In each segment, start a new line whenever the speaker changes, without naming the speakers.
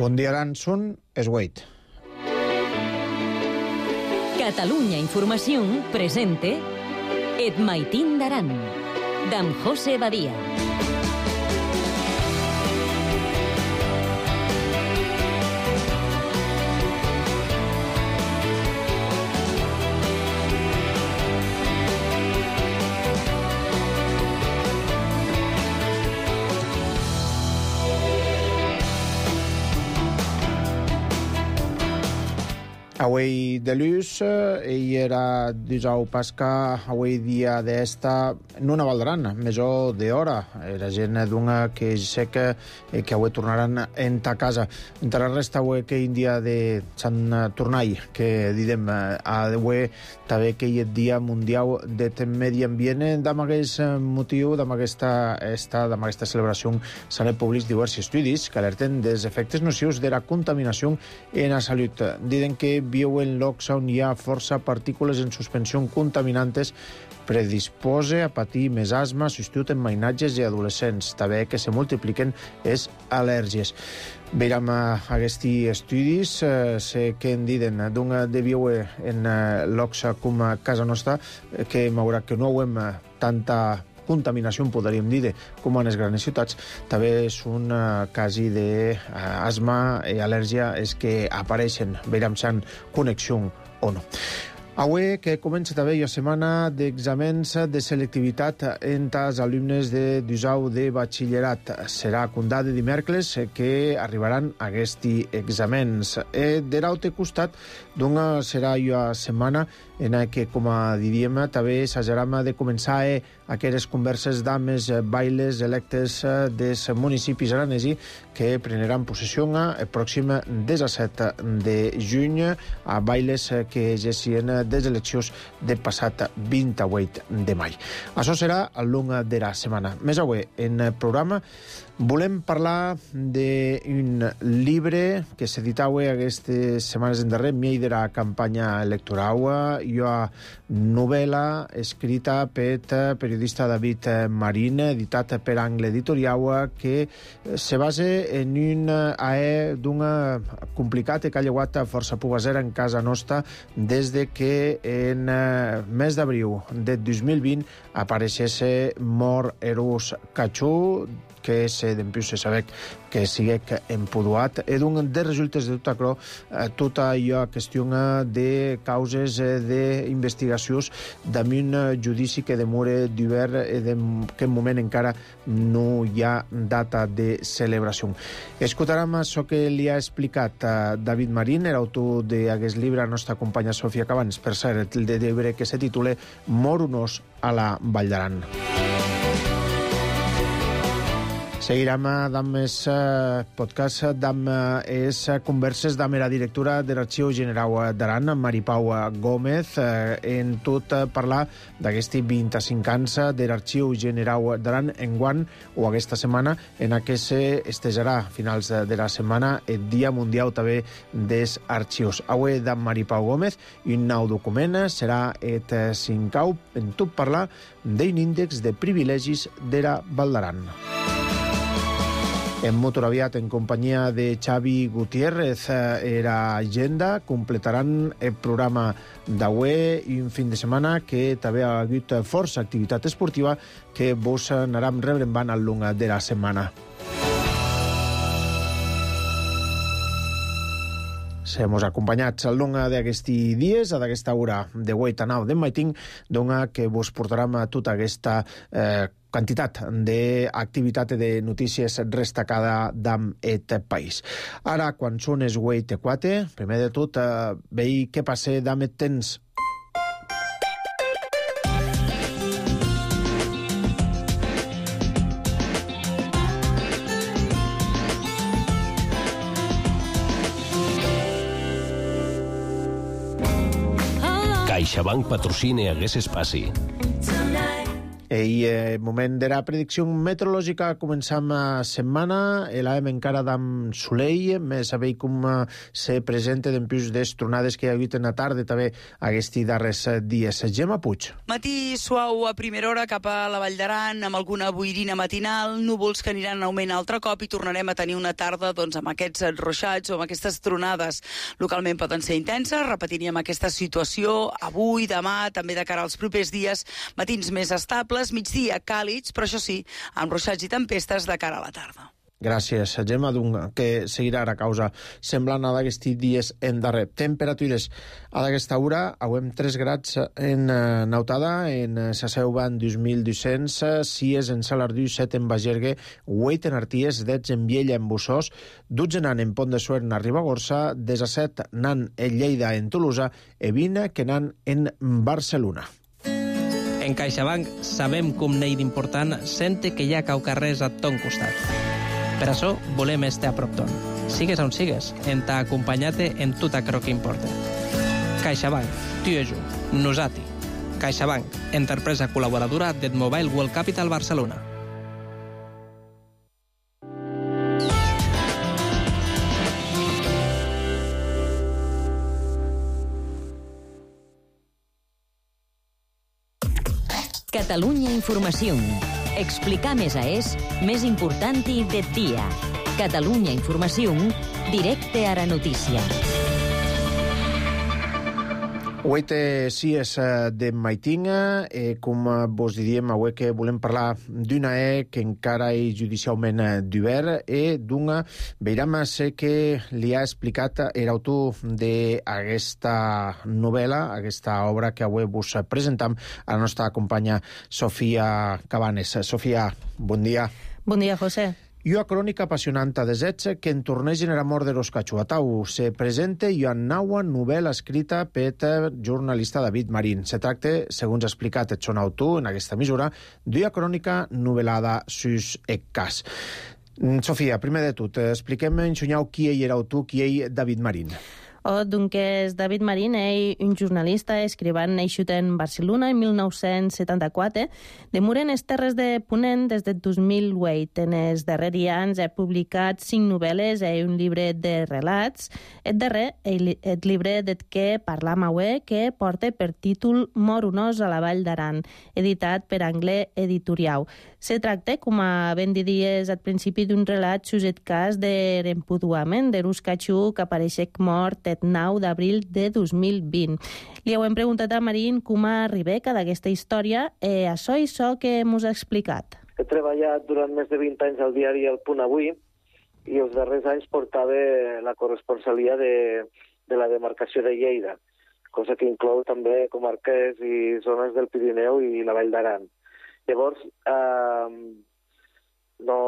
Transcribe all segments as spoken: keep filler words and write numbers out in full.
Bon dia, Aranson, és Wade.
Catalunya Informació presente Et Maitín d'Aran, d'en José Badia.
Avui de luz, i era dijous pasca, avui dia d'esta, no una Valdaran, major d'hora. Era gent d'una que sé que, que avui tornaran en ta casa. Entra la resta avui que un dia de Sant Tornai, que didem, avui també que hi ha dia mundial de medi ambient. Amb aquest motiu, amb aquesta, esta, amb aquesta celebració, s'han publicat diversos estudis que alerten dels efectes nocius de la contaminació en la salut. Diden que viuen llocs on hi ha força partícules en suspensió contaminantes predisposa a patir més asma, substitut en mainatges i adolescents. També que se multipliquen les al·lèrgies. Veiem aquests estudis, eh, sé que en diden d'un de viure en eh, llocs com a casa nostra, que m'haurà que no hem tanta contaminació, podríem dir, com en les grans ciutats. També és un uh, cas d'asma i al·lèrgia és que apareixen, veiem si han connexió o no. Avui que comença també la setmana d'exàmens de selectivitat entre els alumnes de dijous de batxillerat. Serà condat de dimecres que arribaran aquests exàmens. E de l'altre costat, doncs serà la setmana en què, com diríem, també s'haurà de començar a aquestes converses d'àmes bailes electes dels municipis aranesi que prendran possessió el pròxim disset de juny a bailes que exercien des eleccions del passat vint-i-vuit de maig. Això serà al llarg de la setmana. Més avui, en el programa, volem parlar d'un llibre que s'editava aquestes setmanes endarrere, en de la campanya electoral. Hi ha novel·la escrita per periodista David Marín, editat per Angle Editorial, que se basa en un aè d'un complicat que ha llevat força pubasera en casa nostra des de que en mes d'abril del dos mil vint apareixés mort Eros Cachú, que és d'empius se saber que siguec empuduat. E d'un dels resultes de tot això, tota la qüestió de causes d'investigacions d'un judici que demora d'hivern i en aquest moment encara no hi ha data de celebració. Escoltarem això que li ha explicat David Marín, l'autor d'aquest llibre, la nostra companya Sofia Cabans, per cert, el de llibre que se titula Mor un os a la Vall d'Aran. Seguirem amb més podcast, amb les converses amb la directora de l'Arxiu General d'Aran, Maripau Gómez, en tot parlar d'aquests vint-i-cinc anys de l'Arxiu General d'Aran enguany o aquesta setmana, en què s'estejarà a finals de la setmana el Dia Mundial també dels Arxius. Avui d'en Maripau Gómez, un nou document serà el cinquè en tot parlar d'un índex de privilegis de la Val d'Aran. En Motoraviat, en companyia de Xavi Gutiérrez, era agenda, completaran el programa d'avui i un fin de setmana que també ha hagut força activitat esportiva que vos anarem rebrembant al llarg de la setmana. Hem acompanyats al llarg d'aquests dies, a d'aquesta hora de vuit a nou de Maitín, dona que vos portarem a tota aquesta eh, quantitat d'activitat de notícies destacada d'aquest país. Ara, quan són els vuit i quatre, primer de tot, eh, veig què passa amb el temps.
CaixaBank patrocina hagués espaci.
I eh, moment de la predicció meteorològica, començam a setmana, l'hem encara d'am solei, més saber com se presenta d'empús des tronades que hi ha hagut en la tarda, també aquests darrers dies. Gemma Puig.
Matí suau a primera hora cap a la Vall d'Aran, amb alguna boirina matinal, núvols que aniran en augment altre cop i tornarem a tenir una tarda doncs, amb aquests ruixats o amb aquestes tronades. Localment poden ser intenses, repetiríem aquesta situació avui, demà, també de cara als propers dies, matins més estables, migdia càlids, però això sí, amb ruixats i tempestes de cara a la tarda.
Gràcies, Gemma, que seguirà a causa semblant a d'aquests dies en darrer. Temperatures a d'aquesta hora, avem tres grads en Nautada, en Saseu van dos mil dos-cents, sis en Salardú, set en Bagergue, vuit en Arties, deu en Viella en Bussós, dotze nan en Pont de Suert en Ribagorça, disset nan en Lleida en Tolosa i vint que nan en Barcelona.
En CaixaBank sabem com n'hi d'important sente que hi ha cau carrers a ton costat. Per això volem estar a prop ton. Sigues on sigues, en t'ha acompanyat en tot aquello que importa. CaixaBank, tu i jo, nosati. CaixaBank, empresa col·laboradora del Mobile World Capital Barcelona.
Catalunya Informació. Explicar més a és més important i de dia. Catalunya Informació, directe a la notícia.
Avui sí és de Maitinga, eh, com vos diríem, avui que volem parlar d'una E que encara és judicialment d'obert i d'una, veiram ser que li ha explicat l'autor d'aquesta novel·la, aquesta obra que avui vos presentam a la nostra companya Sofia Cabanes. Sofia, bon dia.
Bon dia, José.
I una crònica apassionanta de Zets que en tornegen era mort de los Cachuatau. Se presenta i una nova novel·la escrita per el jornalista David Marín. Se tracta, segons ha explicat el son autor en aquesta mesura, d'una crònica novel·lada sus el cas. Sofia, primer de tot, expliquem en xunyau qui ell era autor, qui ell David Marín.
Oh, doncs David Marín és un jornalista escrivant nascut en Barcelona en mil nou-cents setanta-quatre. Demura en les terres de Ponent des del dos mil vuit. En els darrers anys ha publicat cinc novel·les i un llibre de relats. El darrer, el, el llibre del que parlam avui, que porta per títol Mor un os a la Vall d'Aran, editat per Anglès Editorial. Se tracta, com a ben diries al principi, d'un relat sus el cas de l'empuduament de l'us catxú que apareix mort el nou d'abril de dos mil vint. Li hem preguntat a Marín com arriba d'aquesta història i això i això que mos ha explicat.
He treballat durant més de vint anys al diari El Punt Avui i els darrers anys portava la corresponsalia de, de la demarcació de Lleida, cosa que inclou també comarques i zones del Pirineu i la Vall d'Aran. Llavors, eh, no,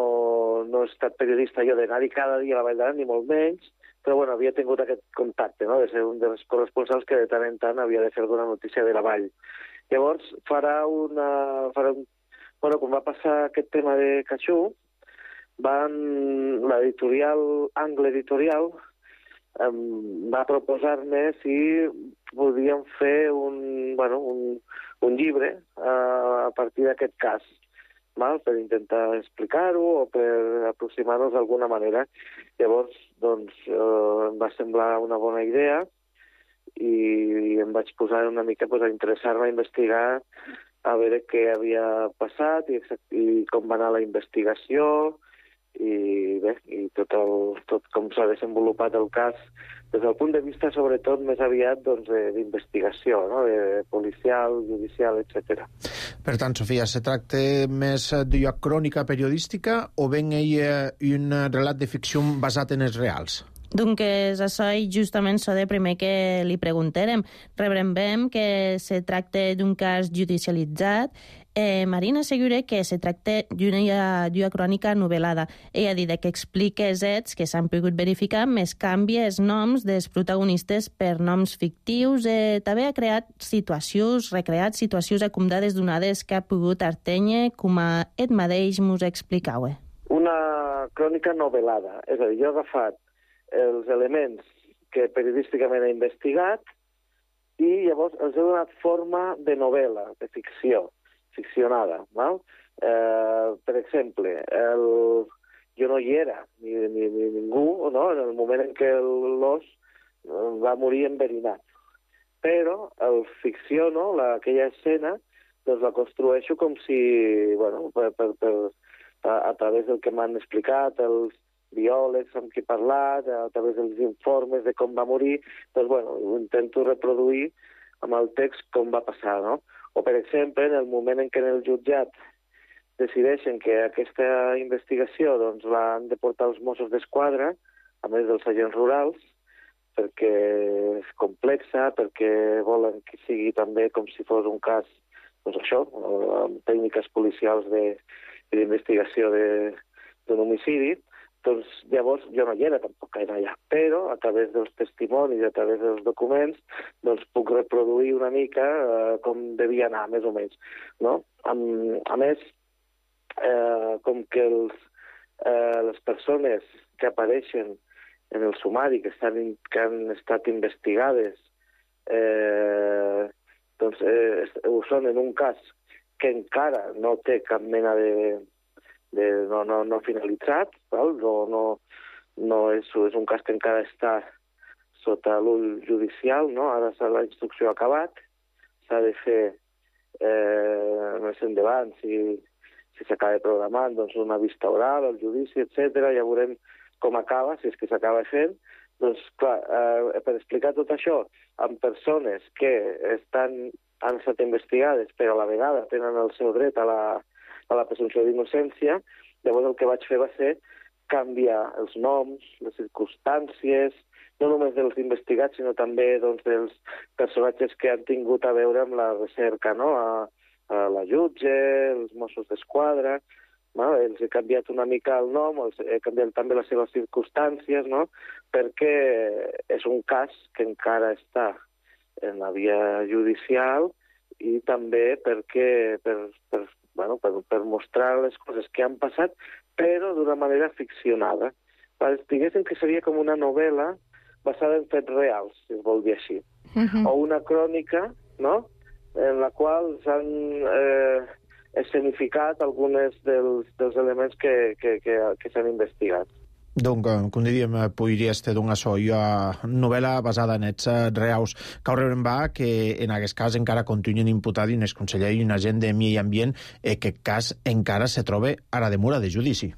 no he estat periodista jo d'anar-hi cada dia a la Vall d'Aran, ni molt menys, però bueno, havia tingut aquest contacte, no?, de ser un dels corresponsals que de tant en tant havia de fer alguna notícia de la Vall. Llavors, farà una... Farà un, bueno, quan va passar aquest tema de Catxú, van, l'editorial, Angle Editorial, um, va proposar-me si podíem fer un, bueno, un, un llibre uh, a partir d'aquest cas, mal, per intentar explicar-ho o per aproximar-nos d'alguna manera. Llavors, doncs, eh, em va semblar una bona idea i, i em vaig posar una mica pues, a interessar-me, a investigar, a veure què havia passat i, i com va anar la investigació i bé, i tot, el, tot com s'ha desenvolupat el cas des del punt de vista, sobretot, més aviat doncs, d'investigació, no?, de policial, judicial, etcètera.
Per tant, Sofia, se tracta més d'una crònica periodística o ben ell un relat de ficció basat en els reals?
Doncs això és justament això de primer que li preguntarem. Rebrem que se tracta d'un cas judicialitzat. Eh, Marín assegura que se tracta d'una, d'una crònica novel·lada. Ella ha dit que explica els fets que s'han pogut verificar, més canvia els noms dels protagonistes per noms fictius. Eh, també ha creat situacions, recreat situacions acomodades donades que ha pogut artenye, com a ell mateix mos explicava.
Una crònica novel·lada. És a dir, jo he agafat els elements que periodísticament he investigat i llavors els he donat forma de novel·la, de ficció. ficcionada. Val? Eh, per exemple, el... jo no hi era, ni, ni, ni ningú, no? En el moment en què l'os va morir enverinat. Però el ficciono, la, aquella escena, doncs la construeixo com si, bueno, per, per, per, a, a través del que m'han explicat els biòlegs amb qui he parlat, a través dels informes de com va morir, doncs, bueno, ho intento reproduir amb el text com va passar, no? O, per exemple, en el moment en què en el jutjat decideixen que aquesta investigació doncs, l'han de portar els Mossos d'Esquadra, a més dels agents rurals, perquè és complexa, perquè volen que sigui també com si fos un cas, doncs això, amb tècniques policials d'investigació d'un homicidi, doncs llavors jo no hi era tampoc gaire allà, però a través dels testimonis, a través dels documents, doncs puc reproduir una mica eh, com devia anar, més o menys, no? A, a més, eh, com que els, eh, les persones que apareixen en el sumari, que, estan, que han estat investigades, eh, doncs eh, ho són en un cas que encara no té cap mena de... de no, no, no finalitzat, val? No, no, no és, és un cas que encara està sota l'ull judicial, no? Ara la instrucció ha acabat, s'ha de fer eh, més endavant, si, si s'acaba programant doncs, una vista oral, el judici, etcètera. Ja veurem com acaba, si és que s'acaba fent. Doncs, clar, eh, per explicar tot això amb persones que estan, han estat investigades, però a la vegada tenen el seu dret a la a la presumpció d'innocència, llavors el que vaig fer va ser canviar els noms, les circumstàncies, no només dels investigats, sinó també doncs, dels personatges que han tingut a veure amb la recerca, no? a, a la jutge, els Mossos d'Esquadra, no? Els he canviat una mica el nom, els he canviat també les seves circumstàncies, no? Perquè és un cas que encara està en la via judicial i també perquè per, per Bueno, per, per mostrar les coses que han passat, però d'una manera ficcionada. Diguéssim que seria com una novel·la basada en fets reals, si es vol dir així. Uh-huh. O una crònica, no?, en la qual s'han eh, escenificat alguns dels, dels elements que, que, que, que s'han investigat.
Donc, com diríem, podria ser d'una sola novel·la basada en fets reals. Cal rebrembar que en aquest cas encara continuen imputats un exconseller i un agent de Medi Ambient, i aquest cas encara se troba a la demora de judici.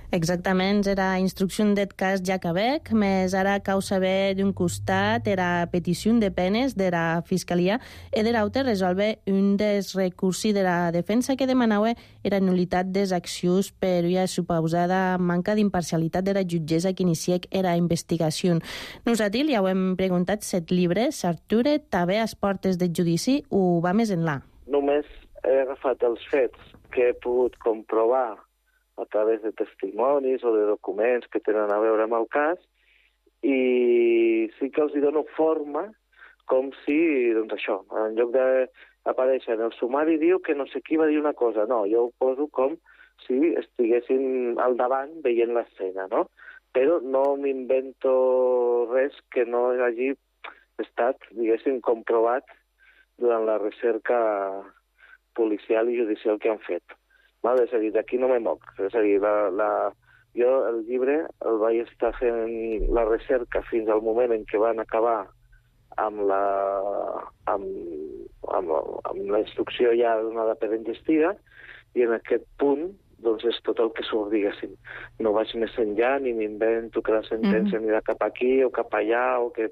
Exactament, era instrucció d'et cas ja acabèc, més ara cau saber d'un costat era petició de penes de la Fiscalia i de l'altre resolve un dels recursos de la defensa que demanava era nul·litat des accions per una suposada manca d'imparcialitat de la jutgessa que iniciec era investigació. Nosaltres ja ho hem preguntat set llibres, s'Arture també a les portes del judici o va més enllà?
Només he agafat els fets que he pogut comprovar a través de testimonis o de documents que tenen a veure amb el cas, i sí que els hi dono forma com si, doncs això, en lloc d'aparèixer en el sumari diu que no sé qui va dir una cosa. No, jo ho poso com si estiguessin al davant veient l'escena, no? Però no m'invento res que no hagi estat, diguéssim, comprovat durant la recerca policial i judicial que han fet. Val? És a dir, d'aquí no me moc. És a dir, la, la, jo el llibre el vaig estar fent la recerca fins al moment en què van acabar amb la, amb, amb, amb la instrucció ja donada per enllestida, i en aquest punt doncs és tot el que surt, diguéssim. No vaig més enllà, ni m'invento que la sentència anirà cap aquí o cap allà, o que...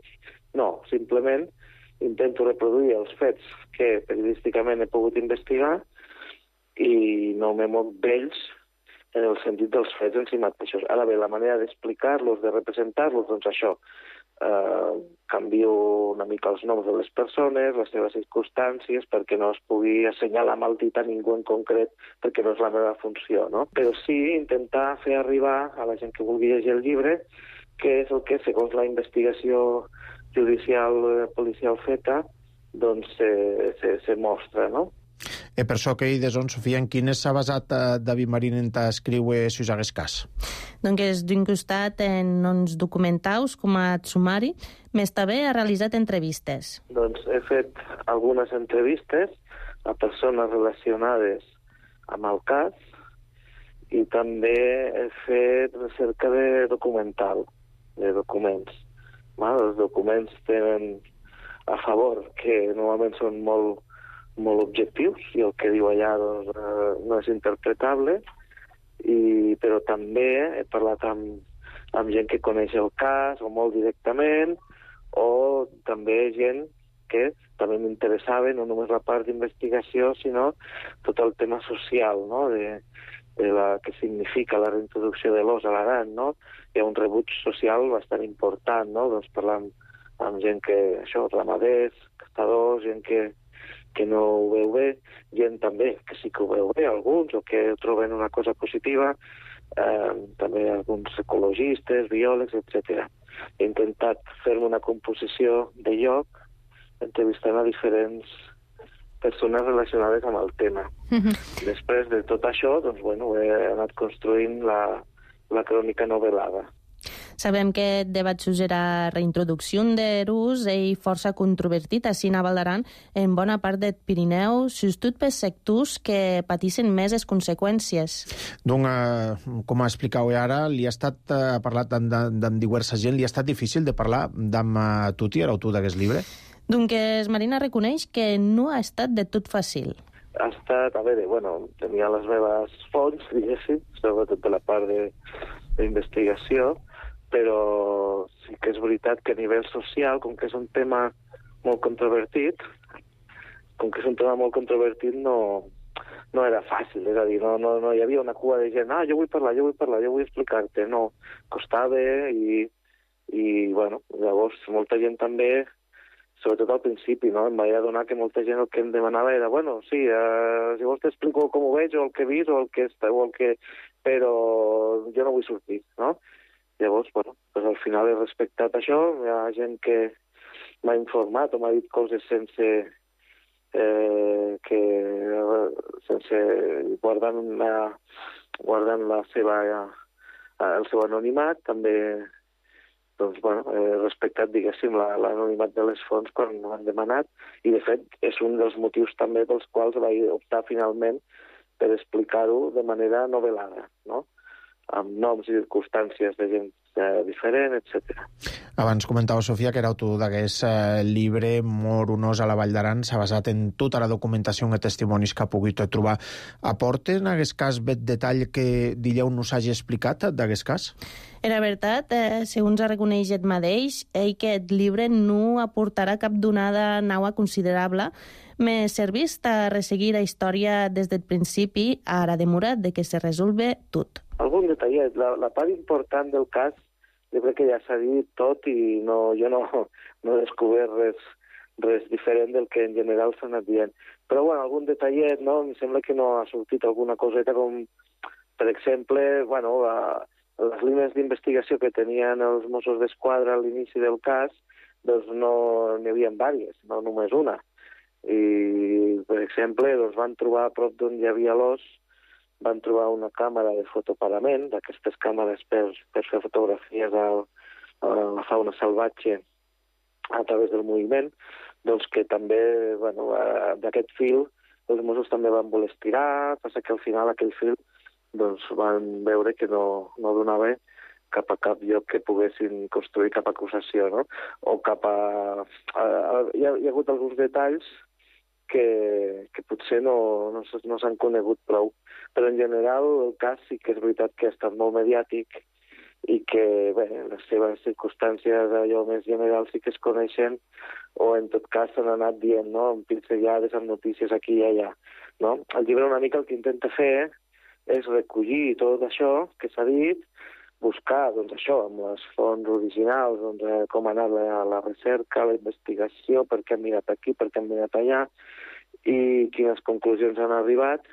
No, simplement intento reproduir els fets que periodísticament he pogut investigar i no me moc d'ells en el sentit dels fets en si mateixos. Ara bé, la manera d'explicar-los, de representar-los, doncs això, eh, canvio una mica els noms de les persones, les seves circumstàncies, perquè no es pugui assenyalar amb el dit a ningú en concret, perquè no és la meva funció, no? Però sí intentar fer arribar a la gent que vulgui llegir el llibre què és el que, segons la investigació judicial eh, policial feta, doncs se, se, se mostra, no?
E per això que hi deson, Sofia, en quines s'ha basat eh, David Marín en escriure si us hagués cas?
Doncs d'un costat en uns documentaus com a sumari, més també ha realitzat entrevistes.
Doncs he fet algunes entrevistes a persones relacionades amb el cas, i també he fet recerca de documental, de documents. Val? Els documents tenen a favor que normalment són molt, molt objectius i el que diu allà doncs, eh, no és interpretable, i, però també he parlat amb, amb gent que coneix el cas o molt directament, o també gent que també m'interessava no només la part d'investigació, sinó tot el tema social, no? de, de la que significa la reintroducció de l'os a l'Aran, no? Hi ha un rebuig social bastant important, no? Doncs parlant amb gent que, això, ramaders, castadors, gent que, que no ho veu bé, gent també que sí que ho veu bé, alguns, o que troben una cosa positiva, eh, també alguns ecologistes, biòlegs, etcètera. He intentat fer-me una composició de lloc entrevistant a diferents persones relacionades amb el tema. Mm-hmm. Després de tot això, doncs, bueno, he anat construint la, la crònica novel·lada.
Sabem que aquest debat sobre la reintroducció d'erus és força controvertit així a Val d'Aran, en bona part del Pirineu, sobretot per sectors que patissin més les conseqüències.
Doncs, eh, com explicau ara, li ha estat eh, parlat amb, amb diversa gent, li ha estat difícil de parlar amb uh, Tuti, l'autor d'aquest llibre?
Doncs Marina reconeix que no ha estat de tot fàcil.
Ha estat, a veure, bueno, tenia les meves fonts, diguéssim, sobretot de la part d'investigació, però sí que és veritat que a nivell social, com que és un tema molt controvertit, com que és un tema molt controvertit, no, no era fàcil, és a dir, no, no, no hi havia una cua de gent, ah, jo vull parlar, jo vull parlar, jo vull explicar-te, no, costava i, i, bueno, llavors molta gent també, sobretot al principi, no? Em vaig adonar que molta gent el que em demanava era, bueno, sí, eh, si vols t'explico com ho veig, o el que he vist, o el que està, o el que... però jo no vull sortir, no? Llavors, bueno, pues al final he respectat això, hi ha gent que m'ha informat o m'ha dit coses sense... Eh, que... sense... guardant la, guardant la seva... el seu anonimat, també... doncs, bueno, he respectat, diguéssim, l'anonimat de les fonts quan m'han demanat, i, de fet, és un dels motius també pels quals vaig optar finalment per explicar-ho de manera novel·lada, no? Amb noms i circumstàncies de gent eh, diferent, etcètera.
Abans comentava, Sofia, que era autor d'aquest eh, llibre Mor un os a la Vall d'Aran. S'ha basat en tota la documentació i testimonis que ha pogut trobar. Aporta en aquest cas bet detall que Dilleu no s'hagi explicat d'aquest cas?
Era veritat, eh, segons ha reconeixet mateix, ell que aquest llibre no aportarà cap donada nova considerable, m'he servit a resseguir la història des del principi, ara demorat de que se resolve tot.
Algun detallet. La, la part important del cas, jo crec que ja s'ha dit tot i no, jo no, no he descobert res, res diferent del que en general s'ha anat dient. Però, bueno, algun detallet, no? Em sembla que no ha sortit alguna coseta com, per exemple, bueno, la, les línies d'investigació que tenien els Mossos d'Esquadra a l'inici del cas, doncs no n'hi havia diverses, no només una. I, per exemple, doncs van trobar a prop d'on hi havia l'os, van trobar una càmera de fotoparament, d'aquestes càmeres per, per fer fotografies a, a la fauna salvatge a través del moviment, doncs que també, bueno, d'aquest fil els Mossos també van voler estirar, passa que al final aquell fil doncs van veure que no, no donava cap a cap lloc que poguessin construir cap acusació, no? O cap a... a, a hi, ha, hi ha hagut alguns detalls que, que potser no, no, no s'han conegut prou. Però en general el cas sí que és veritat que ha estat molt mediàtic i que, bé, les seves circumstàncies allò més generals sí que es coneixen o en tot cas s'han anat dient, no?, amb pinzellades, amb notícies aquí i allà, no? El llibre una mica el que intenta fer és recollir tot això que s'ha dit, buscar, doncs això, amb les fonts originals, doncs, eh, com ha anat la, la recerca, la investigació, per què han mirat aquí, per què han mirat allà, i quines conclusions han arribat,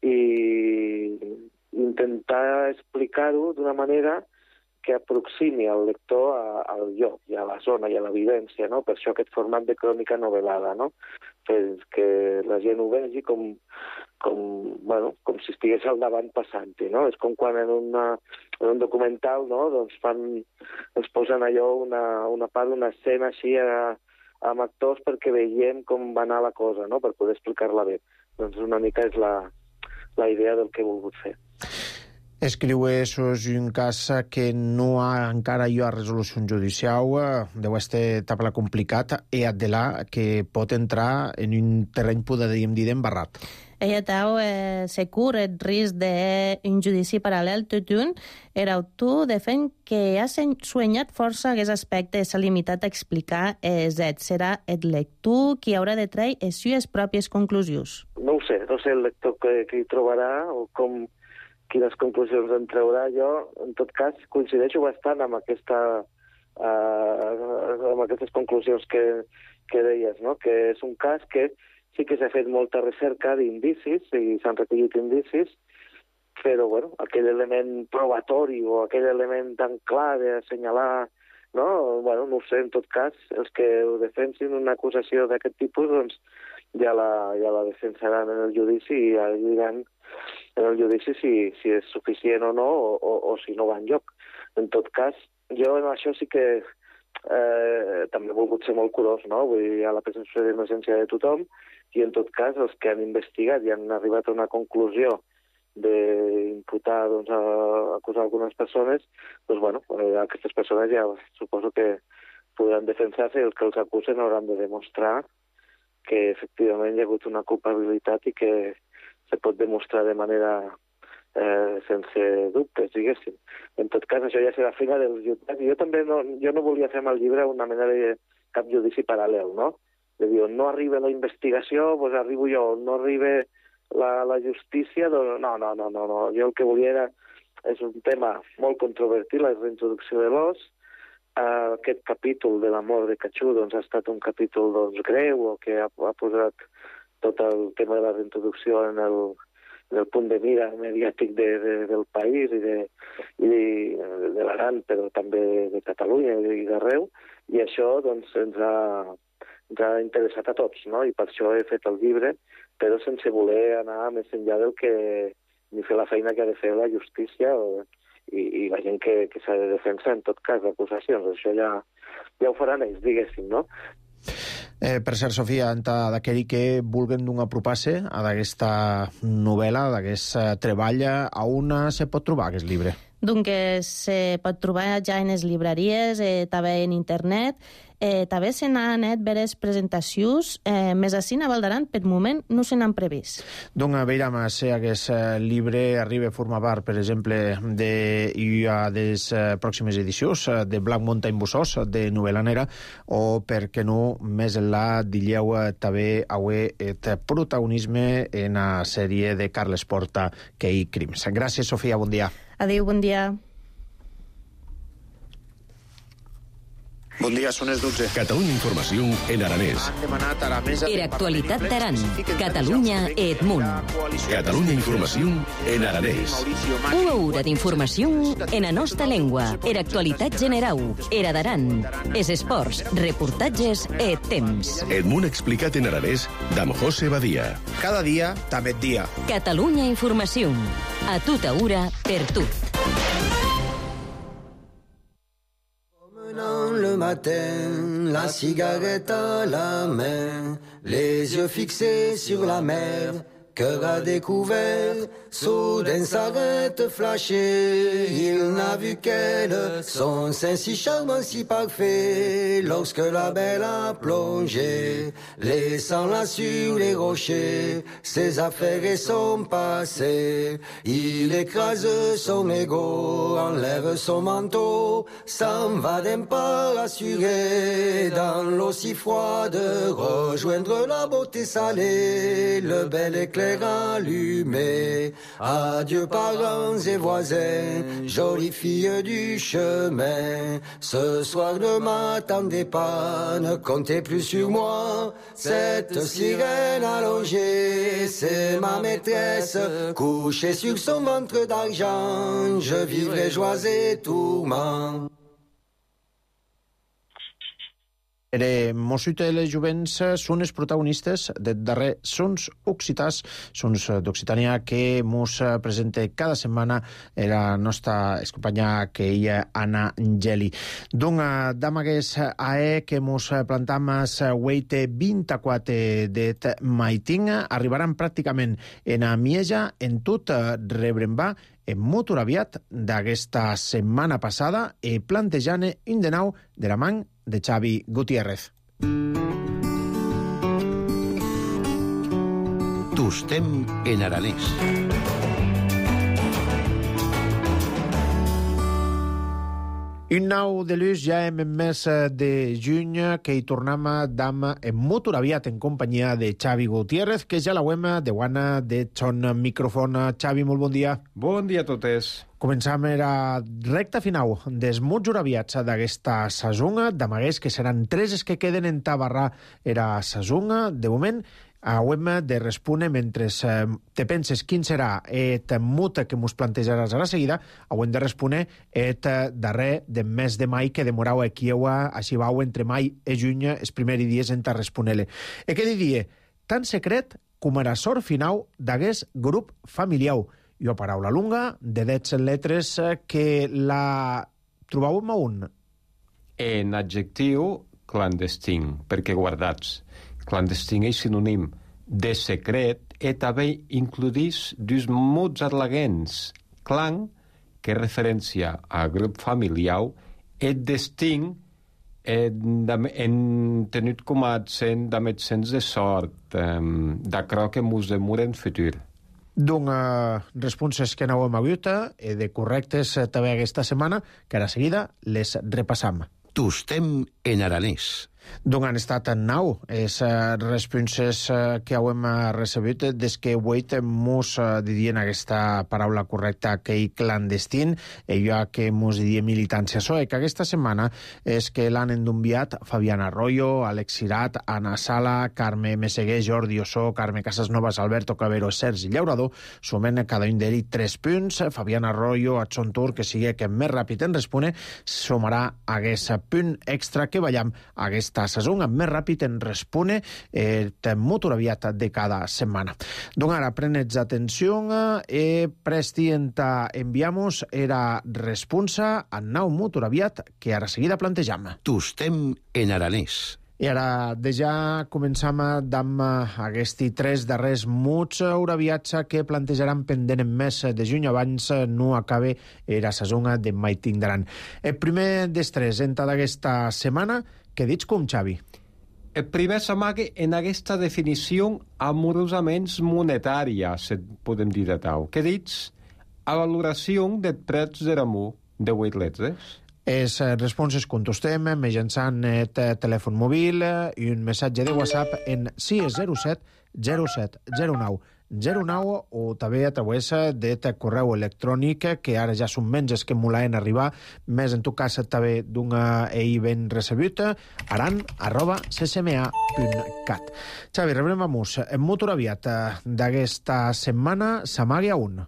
i intentar explicar-ho d'una manera que aproximi el lector a, al lloc i a la zona i a la vivència, no? Per això aquest format de crònica novel·lada, no? Que, que la gent ho vegi com, com, bueno, com si estigués al davant passant-hi, no? És com quan en, una, en un documental, no?, doncs fan, ens posen allò una, una part d'una escena així a, amb actors perquè veiem com va anar la cosa, no?, per poder explicar-la bé. Doncs una mica és la, la idea del que he volgut fer.
Escriu és un cas que no ha encara hi ha resolució judicial, deu estar etapa complicat, i de là que pot entrar en un terreny, podríem dir, embarrat.
Ella tau eh, se cur el risc d'un judici paral·lel tot un, era autor de fent que ha soñat força aquest aspecte s'ha limitat a explicar eh, zet. Serà el lector qui haurà de treure les seves pròpies conclusions.
No ho sé, no sé el lector que, que hi trobarà o com, quines conclusions en traurà. Jo, en tot cas, coincideixo bastant amb, aquesta, uh, amb aquestes conclusions que, que deies, no?, que és un cas que sí que s'ha fet molta recerca d'indicis i s'han recollit indicis, però bueno, aquell element probatori o aquell element tan clar d'assenyalar, no? Bueno, no ho sé, en tot cas, els que ho defensin una acusació d'aquest tipus, doncs ja la, ja la defensaran en el judici i ja diran en el judici si, si és suficient o no, o, o, o si no va enlloc. En tot cas, jo en això sí que eh, també he volgut ser molt curós, no? Vull dir, hi ha la presumpció d'innocència de tothom, i en tot cas els que han investigat i han arribat a una conclusió d'imputar, doncs, a acusar algunes persones, doncs, bueno, aquestes persones ja suposo que podran defensar-se i els que els acusen hauran de demostrar que efectivament hi ha hagut una culpabilitat i que se pot demostrar de manera eh, sense dubtes, diguéssim. En tot cas, això ja serà feina dels jutjats. Jo també no, jo no volia fer amb el llibre una mena de cap judici paral·lel, no? De dir, on no arriba la investigació, doncs arribo jo, on no arriba la, la justícia, doncs no, no, no, no, no. Jo el que volia era, és un tema molt controvertit, la reintroducció de l'os. Uh, aquest capítol de la mort de Cachú, doncs, ha estat un capítol, doncs, greu, o que ha, ha posat tot el tema de la reintroducció en el, en el punt de mira mediàtic de, de, del país i de, i de, de l'Aran, però també de Catalunya i d'arreu, i això, doncs, ens ha... ens ha interessat a tots, no? I per això he fet el llibre, però sense voler anar més enllà del que ni fer la feina que ha de fer la justícia o, i, i la gent que, que s'ha de defensar en tot cas d'acusacions. Això ja, ja ho faran ells, diguéssim, no?
Eh, per cert, Sofia, d'aquell que vulguen d'un apropar-se a d'aquesta novel·la, d'aquest treball, a on se pot trobar aquest llibre?
Doncs se pot trobar ja en les llibreries, eh, també en internet, eh, també se n'han anat veres presentacions, eh, més així a Val d'Aran, per moment no se n'han previst.
Doncs a veure, si aquest llibre arriba a formar part, per exemple, de, i a les pròximes edicions de Black Mountain Bussos, de novel·la negra, o, per què no, més enllà, dilleu també avui el protagonisme en la sèrie de Carles Porta, Key Crims. Gràcies, Sofia, bon dia.
Adéu, bon dia.
Bon dia, són les dotze.
Catalunya Informació en aranès.
Era actualitat d'Aran. Catalunya et Munt.
Catalunya Informació en aranès.
Una hora d'informació en la nostra llengua. Era actualitat generau. Era d'Aran. Es esports, reportatges et temps.
Et Munt explicat en aranès d'Am José Badia.
Cada dia, també et dia.
Catalunya Informació. A tota hora, per tot.
Le matin, la cigarette à la main, les yeux fixés sur la mer, cœur à découvert, soudain s'arrête flashé. Il n'a vu qu'elle, son sein si charmant, si parfait, lorsque la belle a plongé, laissant-la sur les rochers, ses affaires et son passé. Il écrase son ego, enlève son manteau, s'en va d'un pas assuré, dans l'eau si froide, rejoindre la beauté salée, le bel éclair allumé. Adieu parents et voisins, jolie fille du chemin. Ce soir ne m'attendez pas, ne comptez plus sur moi. Cette sirène allongée, c'est ma maîtresse, couchée sur son ventre d'argent. Je vivrai joie et tourment.
Era Mossut i les jovents són els protagonistes del darrer Sons Occitans, Sons d'Occitània, que mos presenta cada setmana la nostra companya que ella Anna Geli. Doncs, d'amagués a e que mos plantam weite vint-i-quatre det maiting, arribaran pràcticament en a Mieja, en tot rebrem va en molt aviat d'aquesta setmana passada i plantejant un de nou de la man de Xavi Gutiérrez.
Tostem en aranès.
Un nou de l'ús ja en mes de juny que hi tornem d'am en molt aviat en companyia de Xavi Gutiérrez, que ja la web de Guana de Son Microfon. Xavi, molt bon dia.
Bon dia a totes.
Començam era recta final dels molt aviats d'aquesta saison, d'amaguers que seran tres els que queden en tabarrar era saison. De moment, hauem de respondre mentre eh, te penses quin serà et mut que mos plantejaràs a la seguida, hauem de respondre et darrer del mes de mai que demorau aquí així vau entre mai i juny els primers dies en ta respondre-le. E què diria? Tan secret com era sort final d'aguest grup familiar. I una paraula lunga de dez letres que la trobàvem a un.
En adjectiu, clandestin, perquè guardats. Clandestin és sinònim de secret e també includís dus mots arlaguens. Clan, que referència a grup familiar, e destin, en, en tenut com a accent d'amets sens de sort, um, d'acrò que mos demura en futur.
Doncs uh, responses que no hem hagut i de correctes uh, també aquesta setmana, que ara seguida les repassam.
Tostem en aranès.
Doncs han estat nou les uh, responses uh, que hem uh, recebut des que avui mos uh, didien aquesta paraula correcta que hi clandestin, i jo que mos didien militància soe, que aquesta setmana és que l'han enviat Fabián Arroyo, Àlex Cirat, Anna Sala, Carme Meseguer, Jordi Ossó, Carme Casasnovas, Alberto Clavero, Sergi Llaurador, sumen cada un d'ells tres punts. Fabián Arroyo, a son tour, que sigui que més ràpid en respone, sumarà aquest punt extra que veiem aquesta saison amb més ràpid en respone eh, molt aviat de cada setmana. Doncs ara prenets atenció i presti en ta enviamos era responsa a nou molt aviat que ara seguida plantejam.
Tostem en aranès.
I ara, de ja començam amb aquests tres darrers muts auraviats que plantejaran pendent en mes de juny abans no acabe la saison de mai tindran. El primer dels tres en d'aquesta setmana, què dits com, Xavi?
El primer s'amaga en aquesta definició amorosament monetària, se podem dir de tau. Què dits? A valoració de preus de l'amor de vuit letres.
Les responses contestem mitjançant el telèfon mòbil i un missatge de WhatsApp en sis zero set zero set zero nou zero nou o també a través del correu electrònic que ara ja són menys que molaven arribar, més en tot cas també d'un ell ben recebut, aran arroba ccma punt cat. Xavi, rebrem a mus. En molt aviat d'aquesta setmana s'amaga un.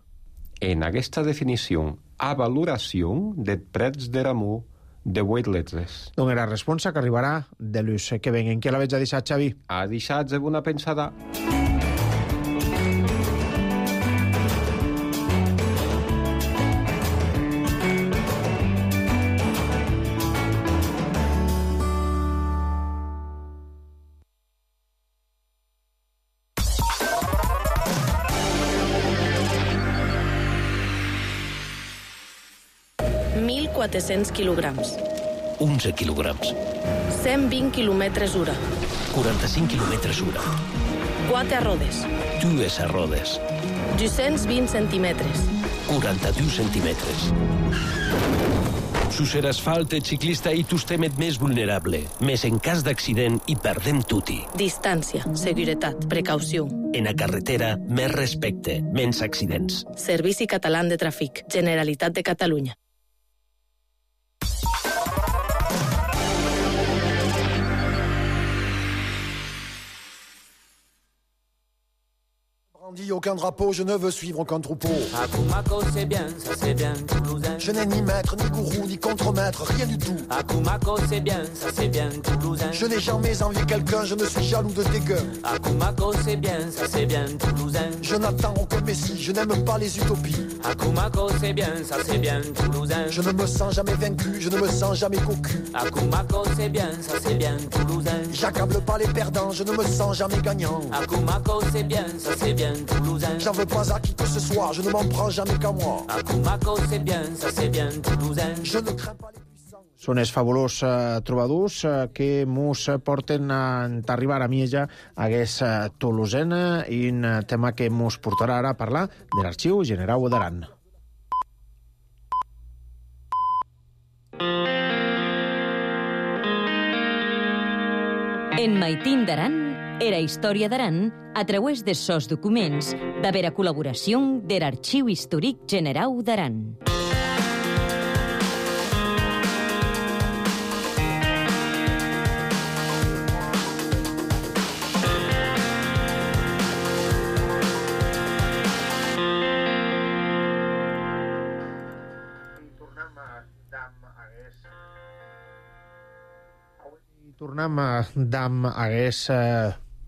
En aquesta definició, a valoració de preus de l'amor de vuit letres.
Doncs la responsa que arribarà de l'ús que venguen. Qui la veig a deixar, Xavi?
A deixar de bona pensada.
mil quatre-cents quilograms.
onze quilograms.
cent vint quilòmetres hora.
quaranta-cinc quilòmetres hora.
quatre rodes.
Dues rodes.
dos-cents vint centímetres.
quaranta-dos centímetres. Sus er asfalt, el ciclista i tostem més vulnerable. Més en cas d'accident i perdem tutti.
Distància, seguretat, precaució.
En la carretera, més respecte, menys accidents.
Servici Català de Tràfic, Generalitat de Catalunya.
Dit aucun drapeau, je ne veux suivre aucun troupeau.
À Kumako, c'est bien, ça c'est bien, Toulousain.
Je n'ai ni maître, ni gourou, ni contremaître, rien du tout.
À Kumako, c'est bien, ça c'est bien, Toulousain.
Je n'ai jamais envié quelqu'un, je ne suis jaloux de dégueu.
À Kumako, c'est bien, ça c'est bien, Toulousain.
Je n'attends aucun messie, je n'aime pas les utopies.
À Kumako, c'est bien, ça c'est bien, Toulousain.
Je ne me sens jamais vaincu, je ne me sens jamais cocu.
À Kumako, c'est bien, ça c'est bien, Toulousain.
J'accable pas les perdants, je ne me sens jamais gagnant.
À Kumako, c'est bien, ça c'est bien, Toulousain.
J'en veux pas à qui que ce soit, je ne m'en prends jamais qu'à moi.
À Kumako, c'est bien, ça c'est bien, Toulousain.
Je ne crains pas les puissants.
Són els fabulós uh, trobadors uh, que mos porten a arribar a Mieja a aquest uh, Toulousena i un uh, tema que mos portarà ara a parlar de l'Arxiu Generau d'Aran.
En Maitín d'Aran era història d'Aran a través de sos documents de la col·laboració de l'Arxiu Històric Generau d'Aran.
Tornem d'am aguest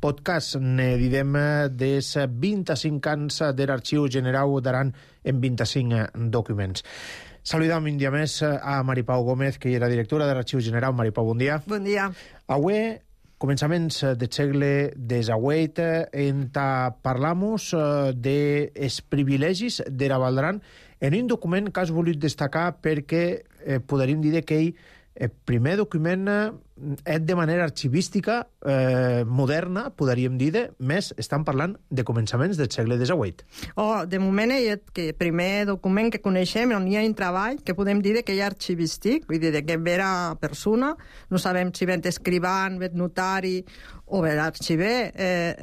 podcast, ne didem des vint-i-cinc anys de l'Arxiu Generau d'Aran en vint-i-cinc documents. Saludam un dia més a Maripau Gómez, que era directora de l'Arxiu Generau. Maripau, bon dia.
Bon dia.
Avui, començaments del segle disset, en parlamus dels privilegis de la Val d'Aran en un document que has volut destacar perquè eh, podríem dir que ell el primer document és de manera arxivística eh, moderna, podríem dir, més estan parlant de començaments del segle disset.
Oh, de moment és el primer document que coneixem on hi ha un treball que podem dir que hi ha arxivístic, vull dir que vera persona, no sabem si ven escrivant, ven notari o bé l'arxiver, eh,